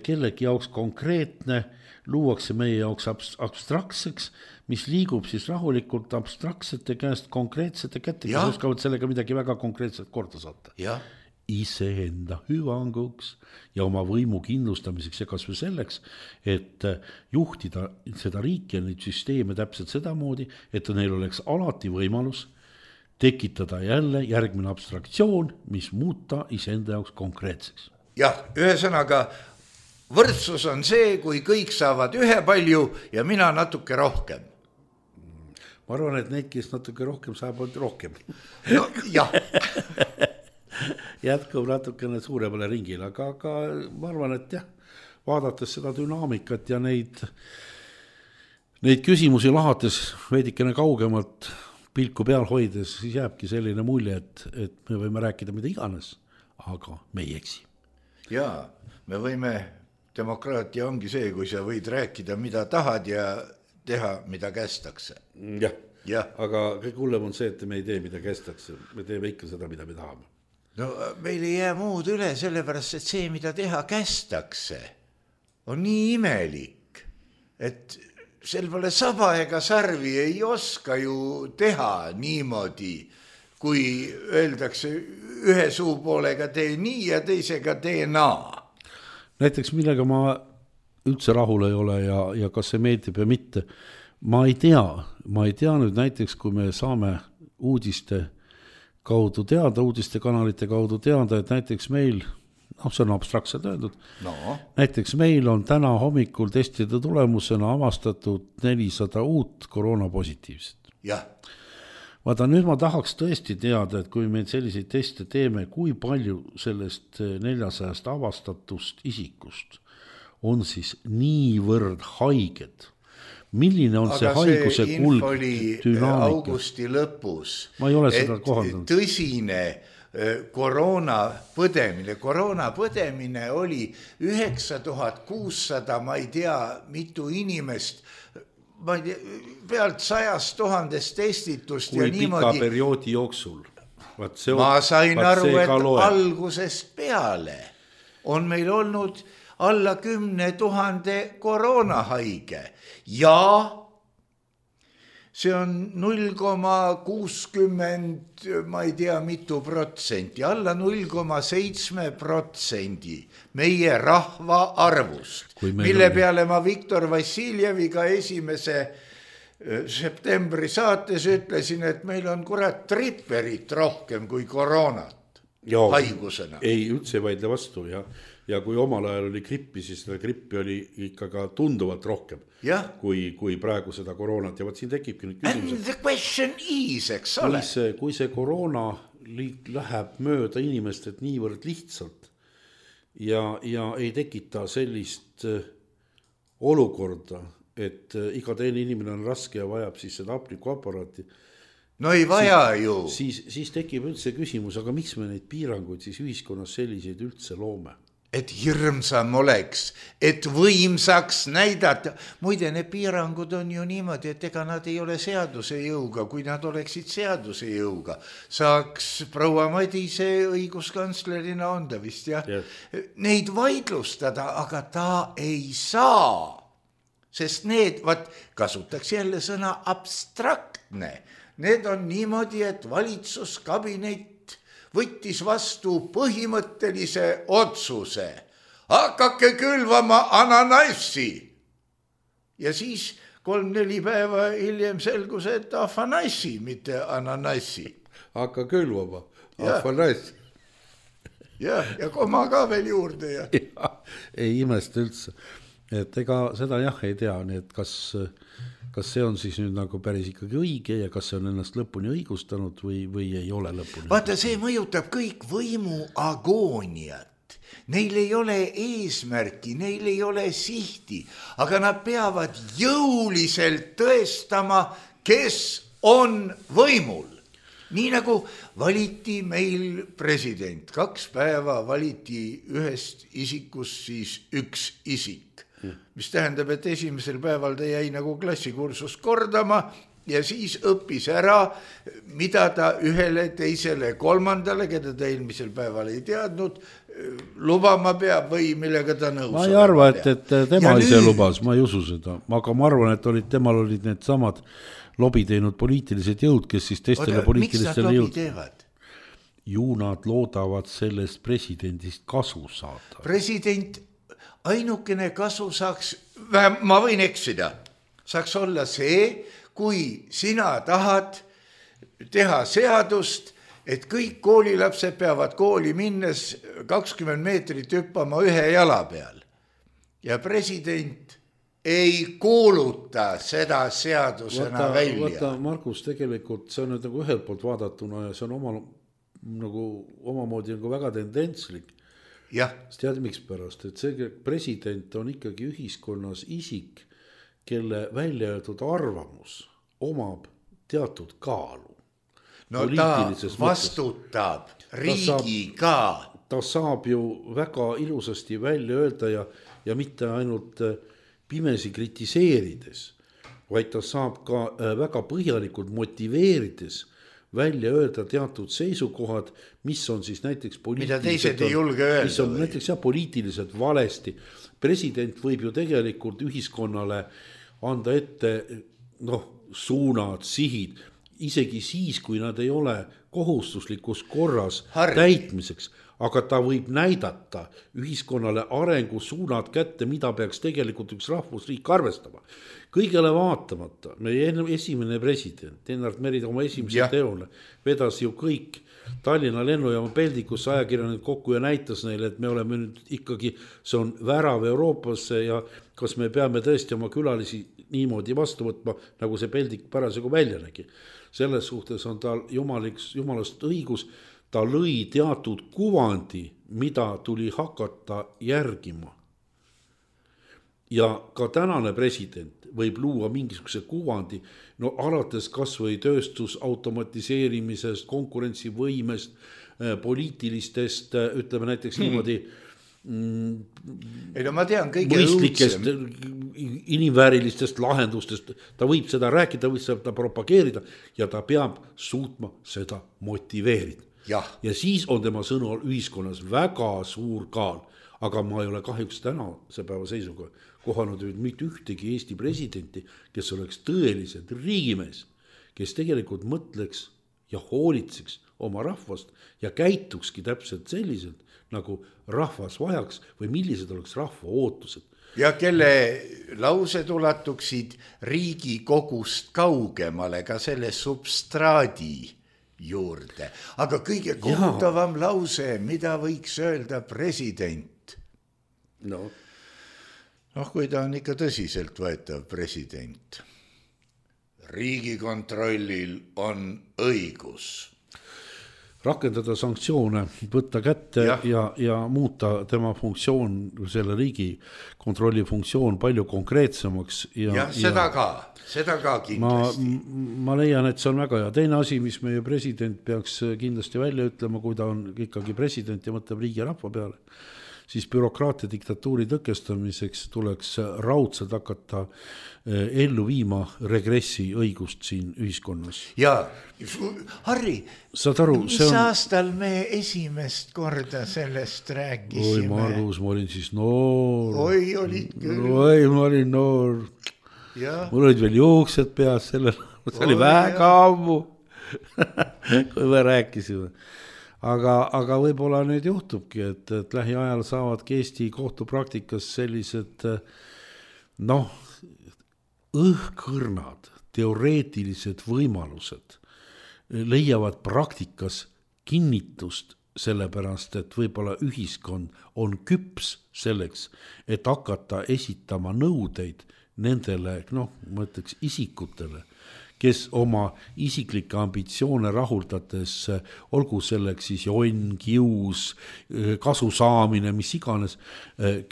kellegi jaoks konkreetne luuakse meie jaoks abstraktseks, mis liigub siis rahulikult abstraktsete käest konkreetsete kätte, kes oskavad sellega midagi väga konkreetselt korda saata. Ja. Iseenda hüvanguks ja oma võimu kindlustamiseks ja kas või selleks, et juhtida seda riiki ja neid süsteeme täpselt sedamoodi, et neil oleks alati võimalus tekitada jälle järgmine abstraktsioon, mis muuta iseenda jaoks konkreetseks. Jah, ühesõnaga võrdsus on see, kui kõik saavad ühe palju ja mina natuke rohkem. Ma arvan, et neid, kes natuke rohkem saavad rohkem. No, jah. Jätkub natukene suuremale ringile, aga, aga ma arvan, et jah, vaadates seda dünaamikat ja neid, neid küsimusi lahates veidikene kaugemalt pilku peal hoides, siis jääbki selline mulje, et, et me võime rääkida mida iganes, aga me ei eksi. Jaa, me võime, demokraatia ongi see, kui sa võid rääkida mida tahad ja teha mida kästakse. Jah, ja. Aga kõik hullem on see, et me ei tee mida kästakse, me teeme ikka seda, mida me tahame. No meil ei jää muud üle, sellepärast, et see, mida teha kästakse, on nii imelik, et sel pole saba ega sarvi ei oska ju teha niimoodi, kui öeldakse ühe suu poolega tee nii ja teisega tee naa. Näiteks millega ma üldse rahul ei ole ja, ja kas see meeldib ja mitte, ma ei tea, ma ei tea nüüd näiteks, kui me saame uudiste kaudu teada, uudistekanalite kaudu teada, et näiteks meil, noh, see on abstraktselt öeldud, no. näiteks meil on täna hommikul testide tulemusena avastatud nelisada uut koroonapositiivset. Jah. Vaata, nüüd ma tahaks tõesti teada, et kui me selliseid teste teeme, kui palju sellest neljasajast avastatust isikust on siis niivõrd haiged. Milline on aga see haiguse kulg dünaamika? Augusti lõpus, ma ei ole seda kohaldanud. Tõsine koroona põdemine, koroona põdemine oli üheksa tuhat kuussada, ma ei tea, mitu inimest, ma ei tea, pealt sajast tuhandest testitust kui ja niimoodi. Kui pika perioodi jooksul. See, ma sain aru, et loeb. Algusest peale on meil olnud alla kümne tuhande koroonahaige ja see on null koma kuuskümmend, ma ei tea mitu protsenti, alla null koma seitse protsendi meie rahva arvust, mille on... peale ma Viktor Vassiljeviga esimese septembri saates ütlesin, et meil on kurat tripperit rohkem kui koroonat ja, haigusena. Ei, üldse vaidle vastu ja Ja kui omal ajal oli grippi, siis seda grippi oli ikka ka tunduvalt rohkem, kui, kui praegu seda koroonat. Ja võt siin tekibki nüüd küsimus. And the question is, eks ole. Kui see, kui see koroona läheb mööda inimestet niivõrd lihtsalt ja, ja ei tekita sellist olukorda, et iga teine inimene on raske ja vajab siis seda hapnikuaparaati. No ei vaja siis, ju. Siis, siis tekib üldse küsimus, aga miks me neid piiranguid siis ühiskonnas selliseid üldse loome? Et hirmsam oleks, et võimsaks näidata. Muide, need piirangud on ju niimoodi, et ega nad ei ole seaduse jõuga. Kui nad oleksid seaduse jõuga, saaks proua Madise õiguskantslerina on ta vist, jah? Yes. Neid vaidlustada, aga ta ei saa. Sest need, vaat, kasutaks jälle sõna abstraktne. Need on niimoodi, et valitsuskabinet võttis vastu põhimõttelise otsuse. Hakake külvama ananassi. Ja siis kolm-neli päeva hiljem selgus, et afanassi, mitte ananassi. Hakka külvama, afanassi. Ja, ja koma ka veel juurde. Ja. Ja, ei imesta üldse. Et ega seda jah ei tea, nii et kas... kas see on siis nüüd nagu päris ikkagi õige ja kas see on ennast lõpuni õigustanud või, või ei ole lõpuni. Vaata, see mõjutab kõik võimu agooniat. Neil ei ole eesmärki, neil ei ole sihti, aga nad peavad jõuliselt tõestama, kes on võimul. Nii nagu valiti meil president, kaks päeva valiti ühest isikust siis üks isik. mis tähendab, et esimesel päeval ta jäi nagu klassikursus kordama ja siis õppis ära, mida ta ühele, teisele, kolmandale, keda ta eelmisel päeval ei teadnud, lubama peab või millega ta nõus. Ma ei arva, et, et tema ja ise nüüd... lubas, ma ei usu seda, aga ma arvan, et olid, temal olid need samad lobi teinud poliitilised jõud, kes siis teistele Oda, poliitilistele jõud. Ju nad loodavad sellest presidendist kasu saada. President ainukene kasu saaks, ma võin eksida, saaks olla see, kui sina tahad teha seadust, et kõik koolilapsed peavad kooli minnes kakskümmend meetrit hüppama ühe jala peal. Ja president ei kuuluta seda seadusena vaata, välja. Vaata, Markus, tegelikult see on nüüd nagu ühelt poolt vaadatuna ja see on oma, nagu omamoodi nagu väga tendentslik. Jah. Tead miks pärast, et see president on ikkagi ühiskonnas isik, kelle välja öeldud arvamus omab teatud kaalu. No ta vastutab riigiga. Ta saab ju väga ilusasti välja öelda ja, ja mitte ainult pimesi kritiseerides, vaid ta saab ka väga põhjalikult motiveerides välja öelda teatud seisukohad, mis on siis näiteks mida teised ei julge öelda. Mis on näiteks jah, poliitiliselt valesti. President võib ju tegelikult ühiskonnale anda ette noh, suunad, sihid, isegi siis, kui nad ei ole kohustuslikus korras Harri. Täitmiseks, aga ta võib näidata ühiskonnale arengusuunad kätte, mida peaks tegelikult üks rahvusriik arvestama. Kõigele vaatamata, meie esimene president, Lennart Meri oma esimese ja. Teole, vedas ju kõik Tallinna lennujaama peldikus ajakirjanik kokku ja näitas neile, et me oleme nüüd ikkagi, see on värav Euroopasse ja kas me peame tõesti oma külalisi niimoodi vastu võtma, nagu see peldik parasjagu välja nägi. Selles suhtes on tal jumaliks, jumalast õigus, ta lõi teatud kuvandi, mida tuli hakata järgima. Ja ka tänane president võib luua mingisuguse kuvandi, no alates kas või tööstus automatiseerimisest, konkurentsivõimest, poliitilistest, ütleme näiteks hmm. niimoodi ei no ma tean kõige mõistlikest inimväärilistest lahendustest, ta võib seda rääkida, võib seda propageerida ja ta peab suutma seda motiveerida. Ja, ja siis on tema sõnul ühiskonnas väga suur kaal, aga ma ei ole kahjuks täna see päeva seisuga kohanud mitte ühtegi Eesti presidenti, kes oleks tõeliselt riigimees, kes tegelikult mõtleks ja hoolitseks oma rahvast ja käitukski täpselt selliselt, nagu rahvas vajaks või millised oleks rahva ootused. Ja kelle laused ulatuksid Riigikogust kaugemale ka selle substraadi juurde. Aga kõige kohutavam lause, mida võiks öelda president. No. noh, kui ta on ikka tõsiselt võetav president. Riigikontrollil on õigus rakendada sanktsioone, võtta kätte ja, ja, ja muuta tema funktsioon, selle riigi kontrolli funktsioon palju konkreetsemaks. Ja, ja seda ja, ka, seda ka kindlasti. Ma, ma leian, et see on väga hea. Teine asi, mis meie president peaks kindlasti välja ütlema, kui ta on ikkagi president ja mõtleb riigi ja rahva peale, siis bürokraatia diktatuuri tõkestamiseks tuleks raudselt hakata ellu viima regressi õigust siin ühiskonnas. Ja, Harri, aru, mis on... aastal me esimest korda sellest rääkisime? Oi, Margus, ma olin siis noor. Oi, olid küll. Oi, ma olin noor. Ja. Mul olid veel juuksed peas, sellel, see oli Oi, väga ammu, kui me rääkisime. Aga, aga võib-olla nüüd juhtubki, et, et lähiajal saavadki Eesti kohtupraktikas sellised noh, õhkõrnad, teoreetilised võimalused leiavad praktikas kinnitust sellepärast, et võib-olla ühiskond on küps selleks, et hakata esitama nõudeid nendele, noh, ma ütleks isikutele, kes oma isiklikke ambitsioone rahuldades, olgu selleks siis jonn, kius, kasu saamine, mis iganes,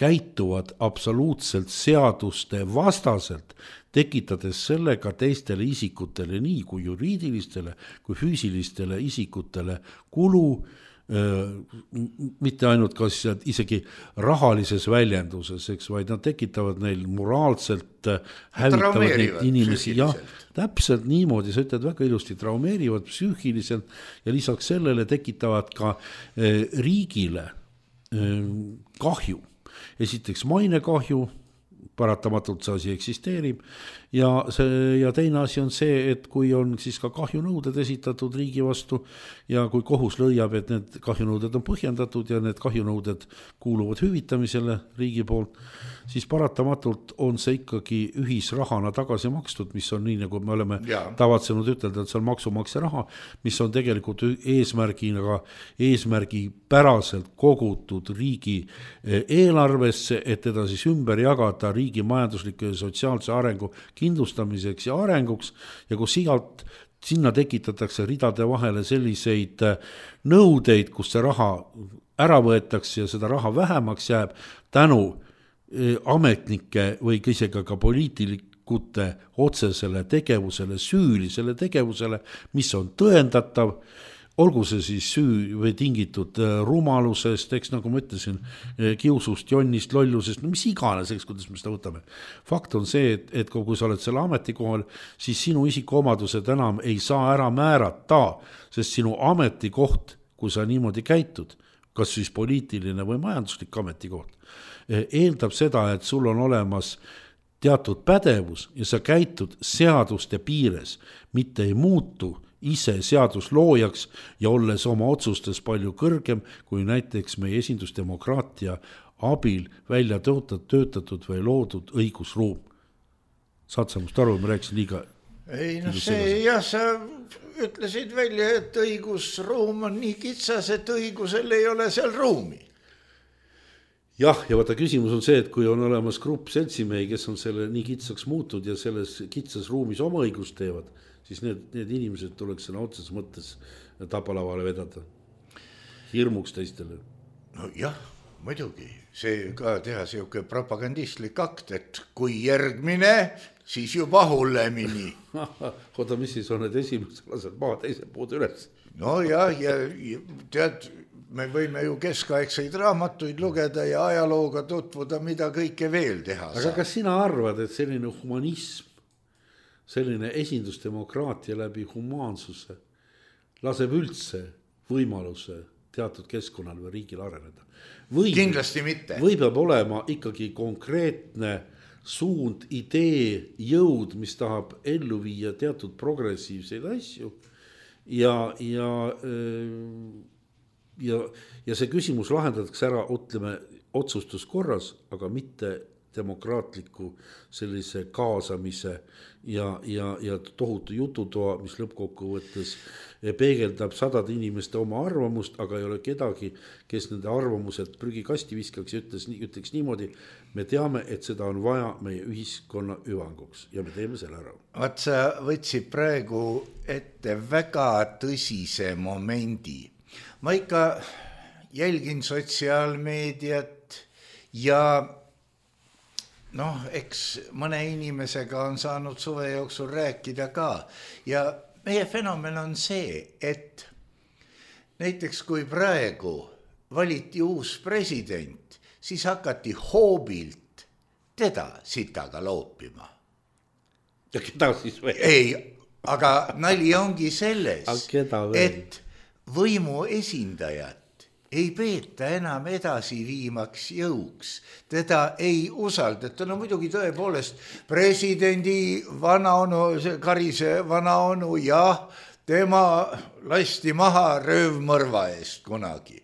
käituvad absoluutselt seaduste vastaselt, tekitades sellega teistele isikutele, nii kui juriidilistele, kui füüsilistele isikutele kulu, mitte ainult kas isegi rahalises väljenduses, eks, vaid nad tekitavad neil moraalselt, hävitavad neid inimesi, jah, täpselt niimoodi, sa ütled väga ilusti, traumeerivad psüühiliselt ja lisaks sellele tekitavad ka riigile kahju. Esiteks mainekahju, paratamatult see asi eksisteerib ja, see, ja teine asi on see, et kui on siis ka kahjunõuded esitatud riigi vastu ja kui kohus lõiab, et need kahjunõuded on põhjendatud ja need kahjunõuded kuuluvad hüvitamisele riigi poolt, siis paratamatult on see ikkagi ühisrahana tagasi makstud, mis on nii, nagu me oleme ja. tavatsenud ütelda, et see on maksumaksja raha, mis on tegelikult eesmärgiga, eesmärgi päraselt kogutud riigi eelarvesse, et teda siis ümber jagada riigi majandusliku ja sotsiaalse arengu kindlustamiseks ja arenguks ja kus igalt sinna tekitatakse ridade vahele selliseid nõudeid, kus see raha ära võetakse ja seda raha vähemaks jääb tänu ametnike või isegi ka poliitikute otsesele tegevusele, süülisele tegevusele, mis on tõendatav, olgu see siis süü või tingitud rumalusest, eks nagu ma ütlesin, kiusust, jonnist, lollusest, no mis iganes, eks, kuidas me seda võtame. Fakt on see, et, et kui sa oled selle ametikohal, siis sinu isikuomadused enam ei saa ära määrata, sest sinu ametikoht, kui sa niimoodi käitud, kas siis poliitiline või majanduslik ametikoht, eeldab seda, et sul on olemas teatud pädevus ja sa käitud seaduste piires, mitte ei muutu ise seadusloojaks ja olles oma otsustes palju kõrgem kui näiteks meie esindusdemokraatia abil välja töötatud või loodud õigusruum. Saad sa must aru, ma rääkisin liiga... Ei, no see, jah, sa ütlesid välja, et õigusruum on nii kitsas, et õigusel ei ole seal ruumi. Jah, ja vaata küsimus on see, et kui on olemas grupp seltsimehi, kes on selle nii kitsaks muutud ja selles kitsas ruumis oma õigust teevad, siis need, need inimesed tuleks sõna otses mõttes tapalavale vedada. Hirmuks teistele. No jah, muidugi. See ka teha siuke propagandistlik akt, et kui järgmine, siis juba hullemini. Oota, mis siis on need esimesed lased maha teise puud üles? No jah, ja tead, me võime ju keskaegseid raamatuid lugeda ja ajalooga tutvuda, mida kõike veel teha saab. Aga kas sina arvad, et selline humanism, selline esindusdemokraatia läbi humaansuse laseb üldse võimaluse teatud keskkonnal või riigil areneda? Või, kindlasti mitte. Või peab olema ikkagi konkreetne suund, idee, jõud, mis tahab ellu viia teatud progressiivseid asju ja, ja, ja, ja see küsimus lahendatakse ära, ütleme, otsustuskorras, aga mitte demokraatliku sellise kaasamise ja, ja, ja tohutu jututoa, mis lõppkokkuvõttes peegeldab sadade inimeste oma arvamust, aga ei ole kedagi, kes nende arvamused prügikasti viskaks ja ütles, ütleks niimoodi, me teame, et seda on vaja meie ühiskonna hüvanguks ja me teeme selle ära. Vaat sa võtsid praegu ette väga tõsise momendi. Ma ikka jälgin sotsiaalmeediat ja noh, eks mõne inimesega on saanud suve jooksul rääkida ka ja meie fenomen on see, et näiteks kui praegu valiti uus president, siis hakati hoobilt teda sitaga loopima. Ja keda siis veel? Ei, aga nali ongi selles, et võimu esindajat ei peeta enam edasi viimaks jõuks. Teda ei usaldata. No muidugi tõepoolest presidendi vanaonu, Karise vanaonu, jah, tema lasti maha röövmõrva eest kunagi.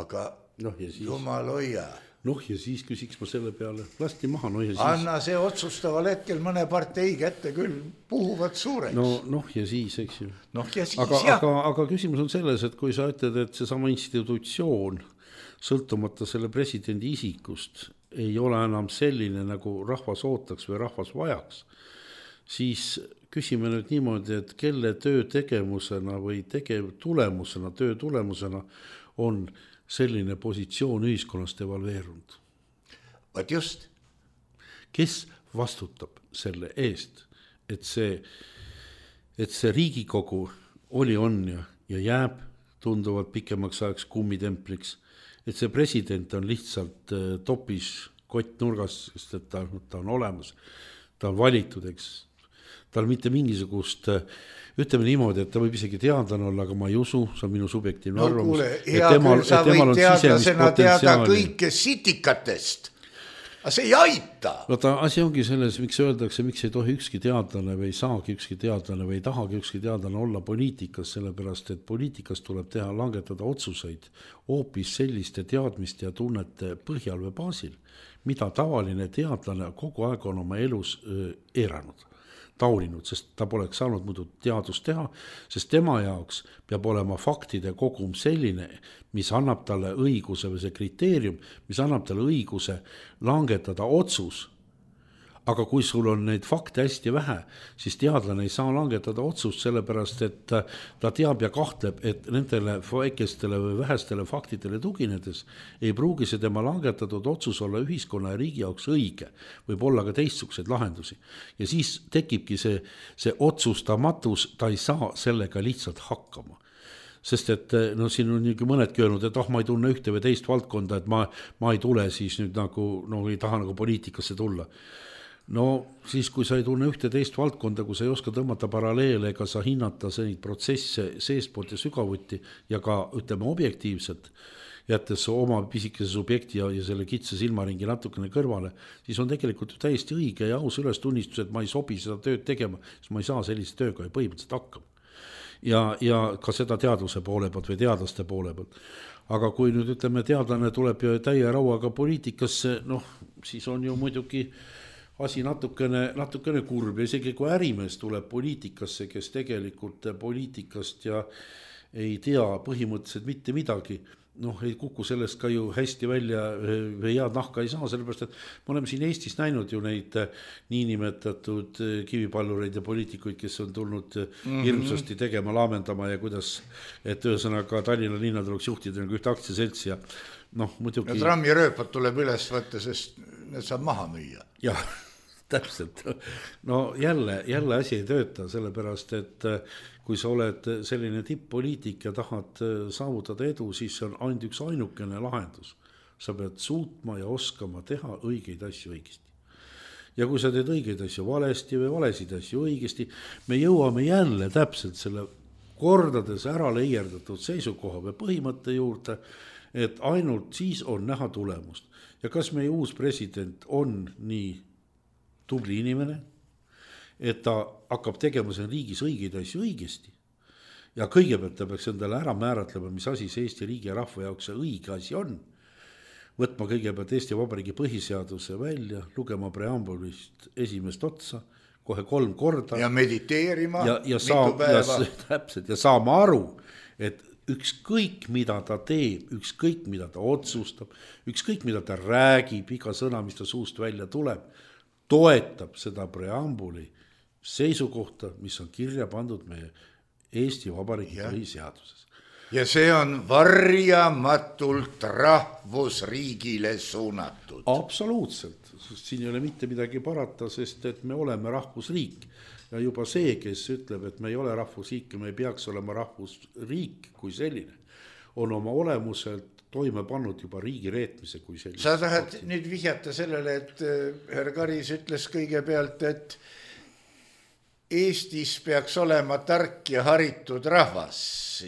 Aga no, siis... jumal hoia. Noh ja siis küsiks ma selle peale, lasti maha, no ja siis... Anna see otsustaval hetkel mõne partei kätte küll puhuvad suureks. No, noh ja siis, eks ju. Noh ja siis, aga, jah. Aga, aga küsimus on selles, et kui sa ütled, et see sama institutsioon, sõltumata selle presidendi isikust, ei ole enam selline, nagu rahvas ootaks või rahvas vajaks, siis küsime nüüd niimoodi, et kelle töö tegemusena või tegev tulemusena, töö tulemusena on selline positsioon ühiskonnast evalveerunud. Vaat just. Kes vastutab selle eest, et see, et see Riigikogu oli, on ja, ja jääb tunduvalt pikemaks ajaks kummitempliks, et see president on lihtsalt topis kott nurgas, sest et ta, ta on olemas, ta on valitud, eks. Ta on mitte mingisugust, ütleme niimoodi, et ta võib isegi teadlane olla, aga ma ei usu, see on minu subjektiivne no, arvamus. Kuule, hea küll, sa võid teadlasena teada kõike sitikatest. Aga see ei aita. Vaata, asi ongi selles, miks öeldakse, miks ei tohi ükski teadlane või ei saagi ükski teadlane või ei tahagi ükski teadlane olla poliitikas, sellepärast, et poliitikas tuleb teha, langetada otsuseid hoopis selliste teadmiste ja tunnete põhjal või baasil, mida tavaline teadlane kogu aeg on oma elus eiranud, tauninud, sest ta poleks saanud muidu teadust teha, sest tema jaoks peab olema faktide kogum selline, mis annab talle õiguse või see kriteerium, mis annab talle õiguse langetada otsus. Aga kui sul on neid fakte hästi vähe, siis teadlane ei saa langetada otsust, sellepärast, et ta teab ja kahtleb, et nendele väikestele või vähestele faktidele tuginedes ei pruugi see tema langetatud otsus olla ühiskonna ja riigi jaoks õige, võib olla ka teistsuguseid lahendusi. Ja siis tekibki see, see otsustamatus, ta ei saa sellega lihtsalt hakkama. Sest et no siin on nii mõnedki öelnud, et oh, ma ei tunne ühte või teist valdkonda, et ma, ma ei tule siis nüüd nagu, no ei taha nagu poliitikasse tulla. No siis, kui sa ei tunne ühte teist valdkonda, kui sa ei oska tõmmata paralleele, ega sa hinnata neid protsesse seestpoolt ja sügavuti ja ka, ütleme, objektiivselt, jättes oma pisikese subjekti ja, ja selle kitsa silmaringi natukene kõrvale, siis on tegelikult täiesti õige ja aus ülestunnistus, et ma ei sobi seda tööd tegema, siis ma ei saa sellise tööga ja põhimõtteliselt hakkama. Ja, ja ka seda teaduse poole pealt või teadlaste poole pealt. Aga kui nüüd, ütleme, teadlane tuleb ju täie rauaga poliitikasse, noh, siis on ju muidugi asi natukene, natukene kurb ja isegi kui ärimees tuleb poliitikasse, kes tegelikult poliitikast ja ei tea põhimõtteliselt mitte midagi, noh, ei kuku sellest ka ju hästi välja või head nahka ei saa, sellepärast, et me oleme siin Eestis näinud ju neid niinimetatud kivipallureid ja poliitikuid, kes on tulnud mm-hmm. hirmsasti tegema, laamendama ja kuidas, et ühesõnaga Tallinna linna tuleks juhtida nagu ühte aktsiaseltsi ja noh, muidugi... Ja trammirööpad tuleb üles võtta, sest need saab maha müüa. Jah, täpselt. No jälle, jälle asi ei tööta, sellepärast, et kui sa oled selline tipp-poliitik ja tahad saavutada edu, siis on ainult üks ainukene lahendus. Sa pead suutma ja oskama teha õigeid asju õigesti. Ja kui sa teed õigeid asju valesti või valesid asju õigesti, me jõuame jälle täpselt selle kordades ära leierdatud seisukoha või põhimõtte juurde, et ainult siis on näha tulemust. Ja kas meie uus president on nii tubli inimene, et ta hakkab tegema siin riigis õigeid asju õigesti. Ja kõigepealt ta peaks endale ära määratlema, mis asi see Eesti riigi ja rahva jaoks see õige asi on. Võtma kõigepealt Eesti Vabariigi põhiseaduse välja, lugema preambulist esimest otsa, kohe kolm korda. Ja mediteerima ja, ja saam, mitu päeva. Ja, täpselt, ja saama aru, et ükskõik mida ta teeb, ükskõik mida ta otsustab, ükskõik mida ta räägib, iga sõna, mis ta suust välja tuleb, toetab seda preambuli seisukohta, mis on kirja pandud meie Eesti Vabariigi põhiseaduses. Ja see on varjamatult rahvusriigile suunatud. Absoluutselt, siin ei ole mitte midagi parata, sest et me oleme rahvusriik. Ja juba see, kes ütleb, et me ei ole rahvusriik ja me ei peaks olema rahvusriik kui selline, on oma olemuselt toime pannud juba riigi reetmise kui selline. Sa tahad nüüd vihjata sellele, et härra Karis ütles kõigepealt, et Eestis peaks olema tark ja haritud rahvas.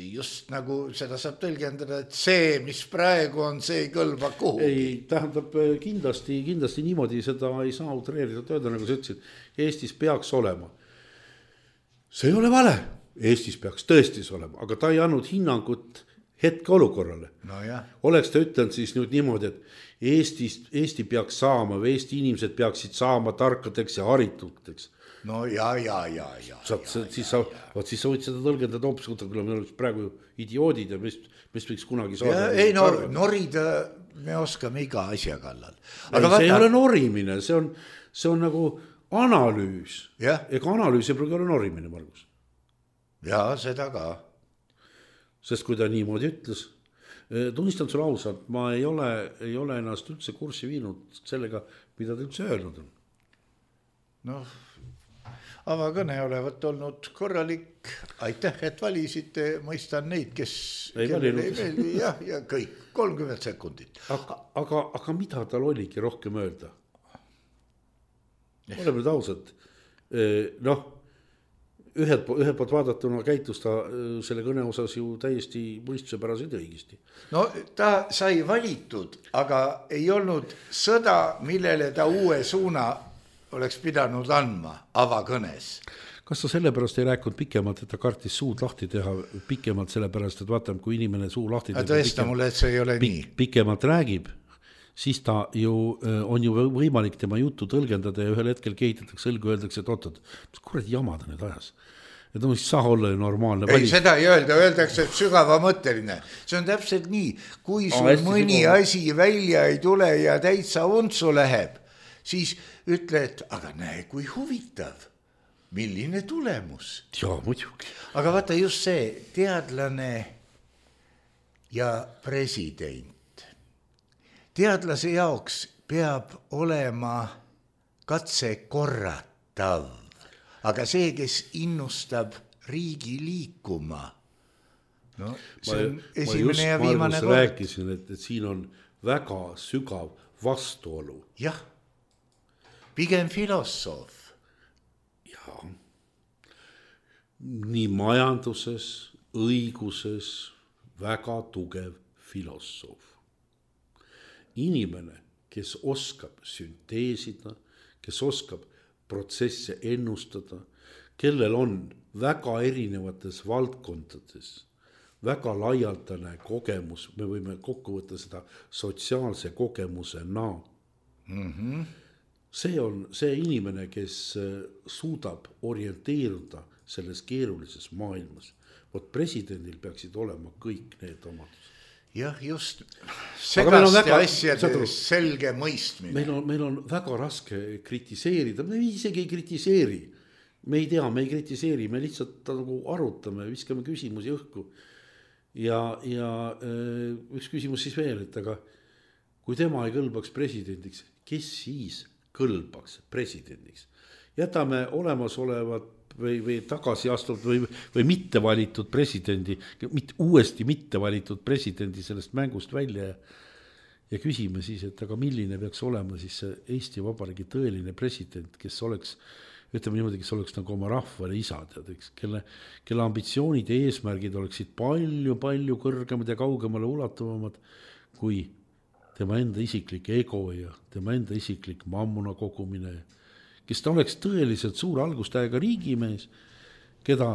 Just nagu seda saab tõlgendada, et see, mis praegu on, see ei kõlba kuhugi. Ei, tähendab kindlasti, kindlasti niimoodi seda ei saa utreerida tööda, nagu sa ütlesid, Eestis peaks olema. See ei ole vale. Eestis peaks tõestis olema, aga ta ei andnud hinnangut hetke olukorrale. No jah. Oleks ta ütlenud siis nüüd niimoodi, et Eestis, Eesti peaks saama või Eesti inimesed peaksid saama tarkadeks ja harituteks. No ja, ja, ja, ja. Saad, ja, siis, ja, sa, ja. Vaat, siis sa võid seda tõlgendada hoopis, kui me oleme praegu idioodid ja mis, mis võiks kunagi saada. Ja, ei no, norida me oskame iga asja kallal. Aga ei, vaata... see ei ole norimine, see on, see on nagu analüüs. Ja. Ega analüüs ei pruugi olla norimine, Margus. Ja, seda ka. Sest kui ta niimoodi ütles, tunnistan sulle ausalt, ma ei ole, ei ole ennast üldse kurssi viinud sellega, mida ta üldse öelnud on. Noh, avakõne olevat olnud korralik. Aitäh, et valisite, mõistan neid, kes ei valinud. Ei meeldi, jah, ja kõik, kolmkümmend sekundit. Aga, aga, aga mida tal oligi rohkem öelda? Oleme nüüd ausad. Noh, ühed, ühed poolt vaadatuna käitus ta selle kõne osas ju täiesti mõistuse päraselt õigesti. No ta sai valitud, aga ei olnud sõda, millele ta uue suuna oleks pidanud andma avakõnes. Kas ta sellepärast ei rääkinud pikemalt, et ta kartis suud lahti teha pikemalt sellepärast, et vaatame, kui inimene suu lahti teha tõesta mulle, et see ei ole nii. Pikemalt räägib, siis ta ju on ju võimalik tema juttu tõlgendada ja ühel hetkel kehitatakse õlgu, öeldakse, et oot-oot, mis kurat jamada nüüd ajas? Et no mis saa olla ju normaalne. Ei, seda ei öelda, öeldakse, et sügava mõtteline. See on täpselt nii, kui sul oh, mõni sügava. Asi välja ei tule ja täitsa untsu läheb, siis ütle, et aga näe, kui huvitav. Milline tulemus? Jaa, muidugi. Aga vaata just see teadlane ja president. Teadlase jaoks peab olema katse korratav, aga see, kes innustab riigi liikuma, no see on ma, esimene ma just, ja viimane kord. Ma rääkisin, et, et siin on väga sügav vastuolu. Jah, pigem filosoof. Nii majanduses, õiguses väga tugev filosoof. Inimene, kes oskab sünteesida, kes oskab protsesse ennustada, kellel on väga erinevates valdkondades, väga laialdane kogemus, me võime kokku võtta seda sotsiaalse kogemusena. Mm-hmm. See on see inimene, kes suudab orienteeruda selles keerulises maailmas. Vot presidendil peaksid olema kõik need omadused. Jah, just segaste väga, asjade selge mõistmine. Meil on, meil on väga raske kritiseerida, me isegi ei kritiseeri. Me ei tea, me ei kritiseeri, me lihtsalt nagu arutame, viskame küsimusi õhku. Ja, ja üks küsimus siis veel, et aga kui tema ei kõlbaks presidendiks, kes siis kõlbaks presidendiks? Jätame olemasolevat või, või tagasi astunud või, või mitte valitud presidendi, mitte, uuesti mitte valitud presidendi sellest mängust välja ja, ja küsime siis, et aga milline peaks olema siis see Eesti Vabariigi tõeline president, kes oleks, ütleme niimoodi, kes oleks nagu oma rahvale isa, tead, eks, kelle, kelle ambitsioonid ja eesmärgid oleksid palju, palju kõrgemad ja kaugemale ulatuvamad kui tema enda isiklik ego ja tema enda isiklik mammuna kogumine, kes ta oleks tõeliselt suur algustäiega riigimees, keda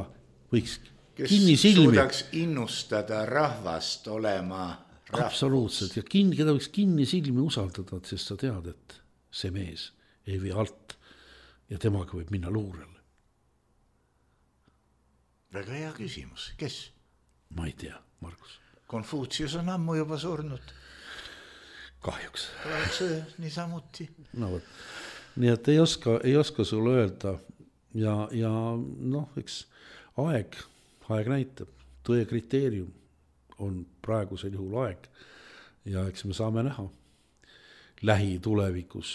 võiks kes kinni silmi. Kes suudaks innustada rahvast olema rahvus. Absoluutselt, ja kinni, keda võiks kinni silmi usaldada, sest sa tead, et see mees ei vii alt ja temaga võib minna luurele. Väga hea küsimus, kes? Ma ei tea, Margus. Konfutsius on ammu juba surnud. Kahjuks. Oleks niisamuti. No võt. Nii et ei oska, ei oska sulle öelda ja, ja noh, eks aeg, aeg näitab, tõe kriteerium on praegusel juhul aeg ja eks me saame näha lähitulevikus,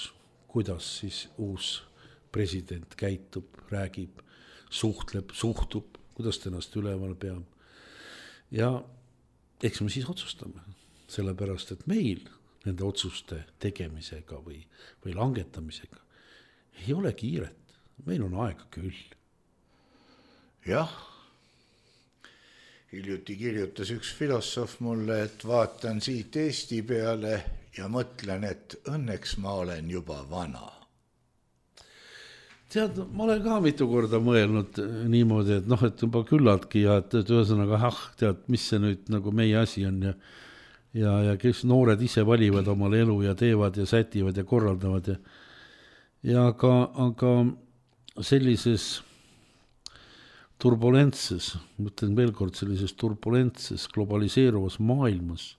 kuidas siis uus president käitub, räägib, suhtleb, suhtub, kuidas ta ennast üleval peab ja eks me siis otsustame, sellepärast, et meil nende otsuste tegemisega või, või langetamisega ei ole kiiret, meil on aega küll. Jah, hiljuti kirjutas üks filosoof mulle, et vaatan siit Eesti peale ja mõtlen, et õnneks ma olen juba vana. Tead, ma olen ka mitu korda mõelnud niimoodi, et noh, et juba küllaltki ja et, et ühesõnaga, ah, tead, mis see nüüd nagu meie asi on ja ja, ja kes noored ise valivad omale elu ja teevad ja sätivad ja korraldavad ja ja aga, aga sellises turbulentses, mõtlen veel kord sellises turbulentses globaliseeruvas maailmas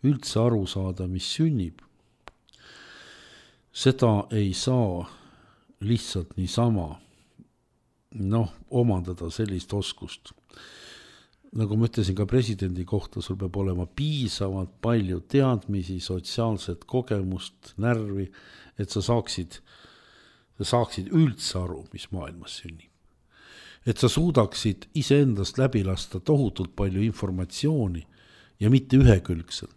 üldse aru saada, mis sünnib, seda ei saa lihtsalt niisama noh, omandada sellist oskust. Nagu ma ütlesin ka presidendi kohta, sul peab olema piisavalt palju teadmisi, sotsiaalset kogemust, närvi, et sa saaksid sa saaksid üldse aru, mis maailmas sünnib. Et sa suudaksid iseendast läbi lasta tohutult palju informatsiooni ja mitte ühekülgselt.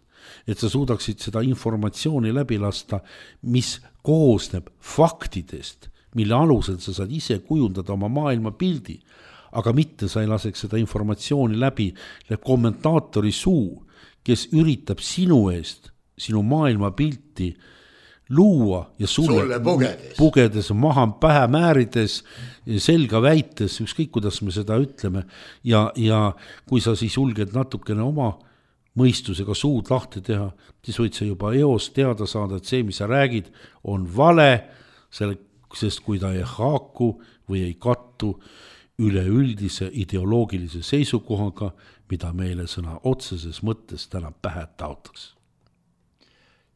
Et sa suudaksid seda informatsiooni läbi lasta, mis koosneb faktidest, mille alusel sa saad ise kujundada oma maailma pildi, aga mitte sa ei laseks seda informatsiooni läbi kommentaatori suu, kes üritab sinu eest, sinu maailma pilti luua ja sulle, sulle pugedes. pugedes, maha pähe määrides, selga väites, ükskõik kuidas me seda ütleme, ja, ja kui sa siis julged natukene oma mõistusega suud lahti teha, siis võid sa juba eos teada saada, et see, mis sa räägid, on vale, selle, sest kui ta ei haaku või ei kattu üleüldise ideoloogilise seisukohaga, mida meile sõna otseses mõttes täna pähe taotaks.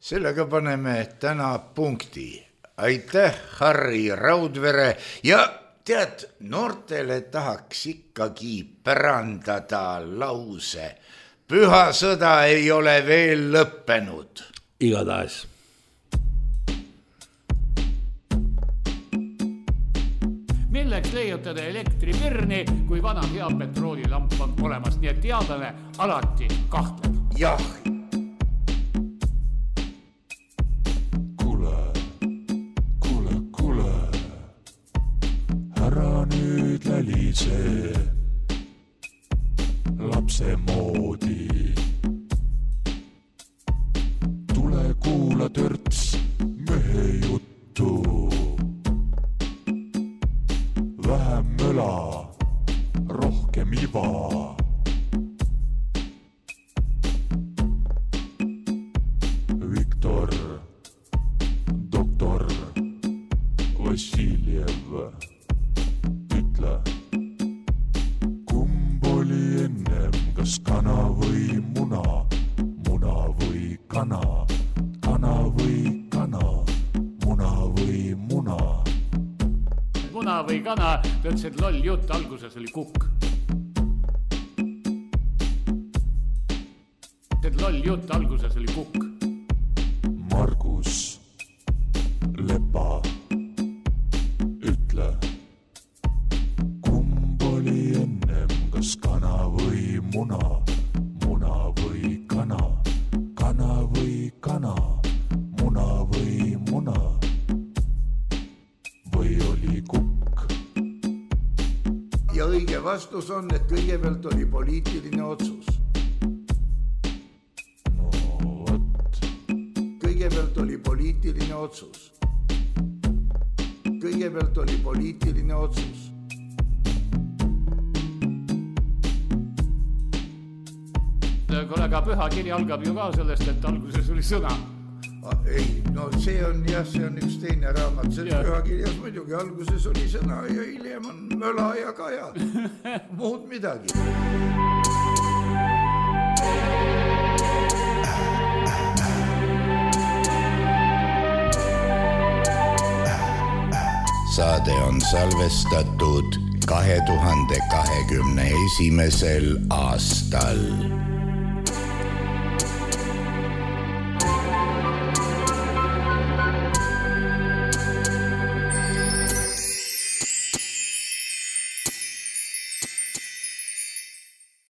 Sellega paneme täna punkti. Aitäh, Harri Raudvere, ja tead, noortele tahaks ikkagi pärandada lause. Püha sõda ei ole veel lõppenud. Igatahes. Milleks leiutada elektripirni, kui vana hea petroolilamp on olemas, nii et teadlane alati kahtleb. Jah. Kule, kule, kule, ära nüüd lälise lapse moodi. Tule kuula törts mehe juttu. Vähem möla, rohkem iva. Viktor, doktor Vassiljev, ütle, kumb oli ennem, kas kana või muna, muna või kana, kana või kana, muna või muna. Muna või kana, tõtsid loll jutt, alguses oli kukk. Tõtsid loll jutt, alguses oli kukk. Margus Lepa, ütle, kumb oli ennem, kas kana või muna, muna või kana, kana või kana, muna või muna, või oli kukk? Ja õige vastus on, et kõigepealt oli poliitiline otsus. No võt. Kõigepealt oli poliitiline otsus. Kõigepealt oli poliitiline otsus. Kollega püha kiri algab ju ka sellest, et alguses oli sõna. Ei, no see on jah, see on üks teine raamat, see ja. Pühakirjas muidugi alguses oli sõna ja hiljem on möla ja kaja, muud midagi. Saade on salvestatud kahe tuhande kahekümne esimesel aastal.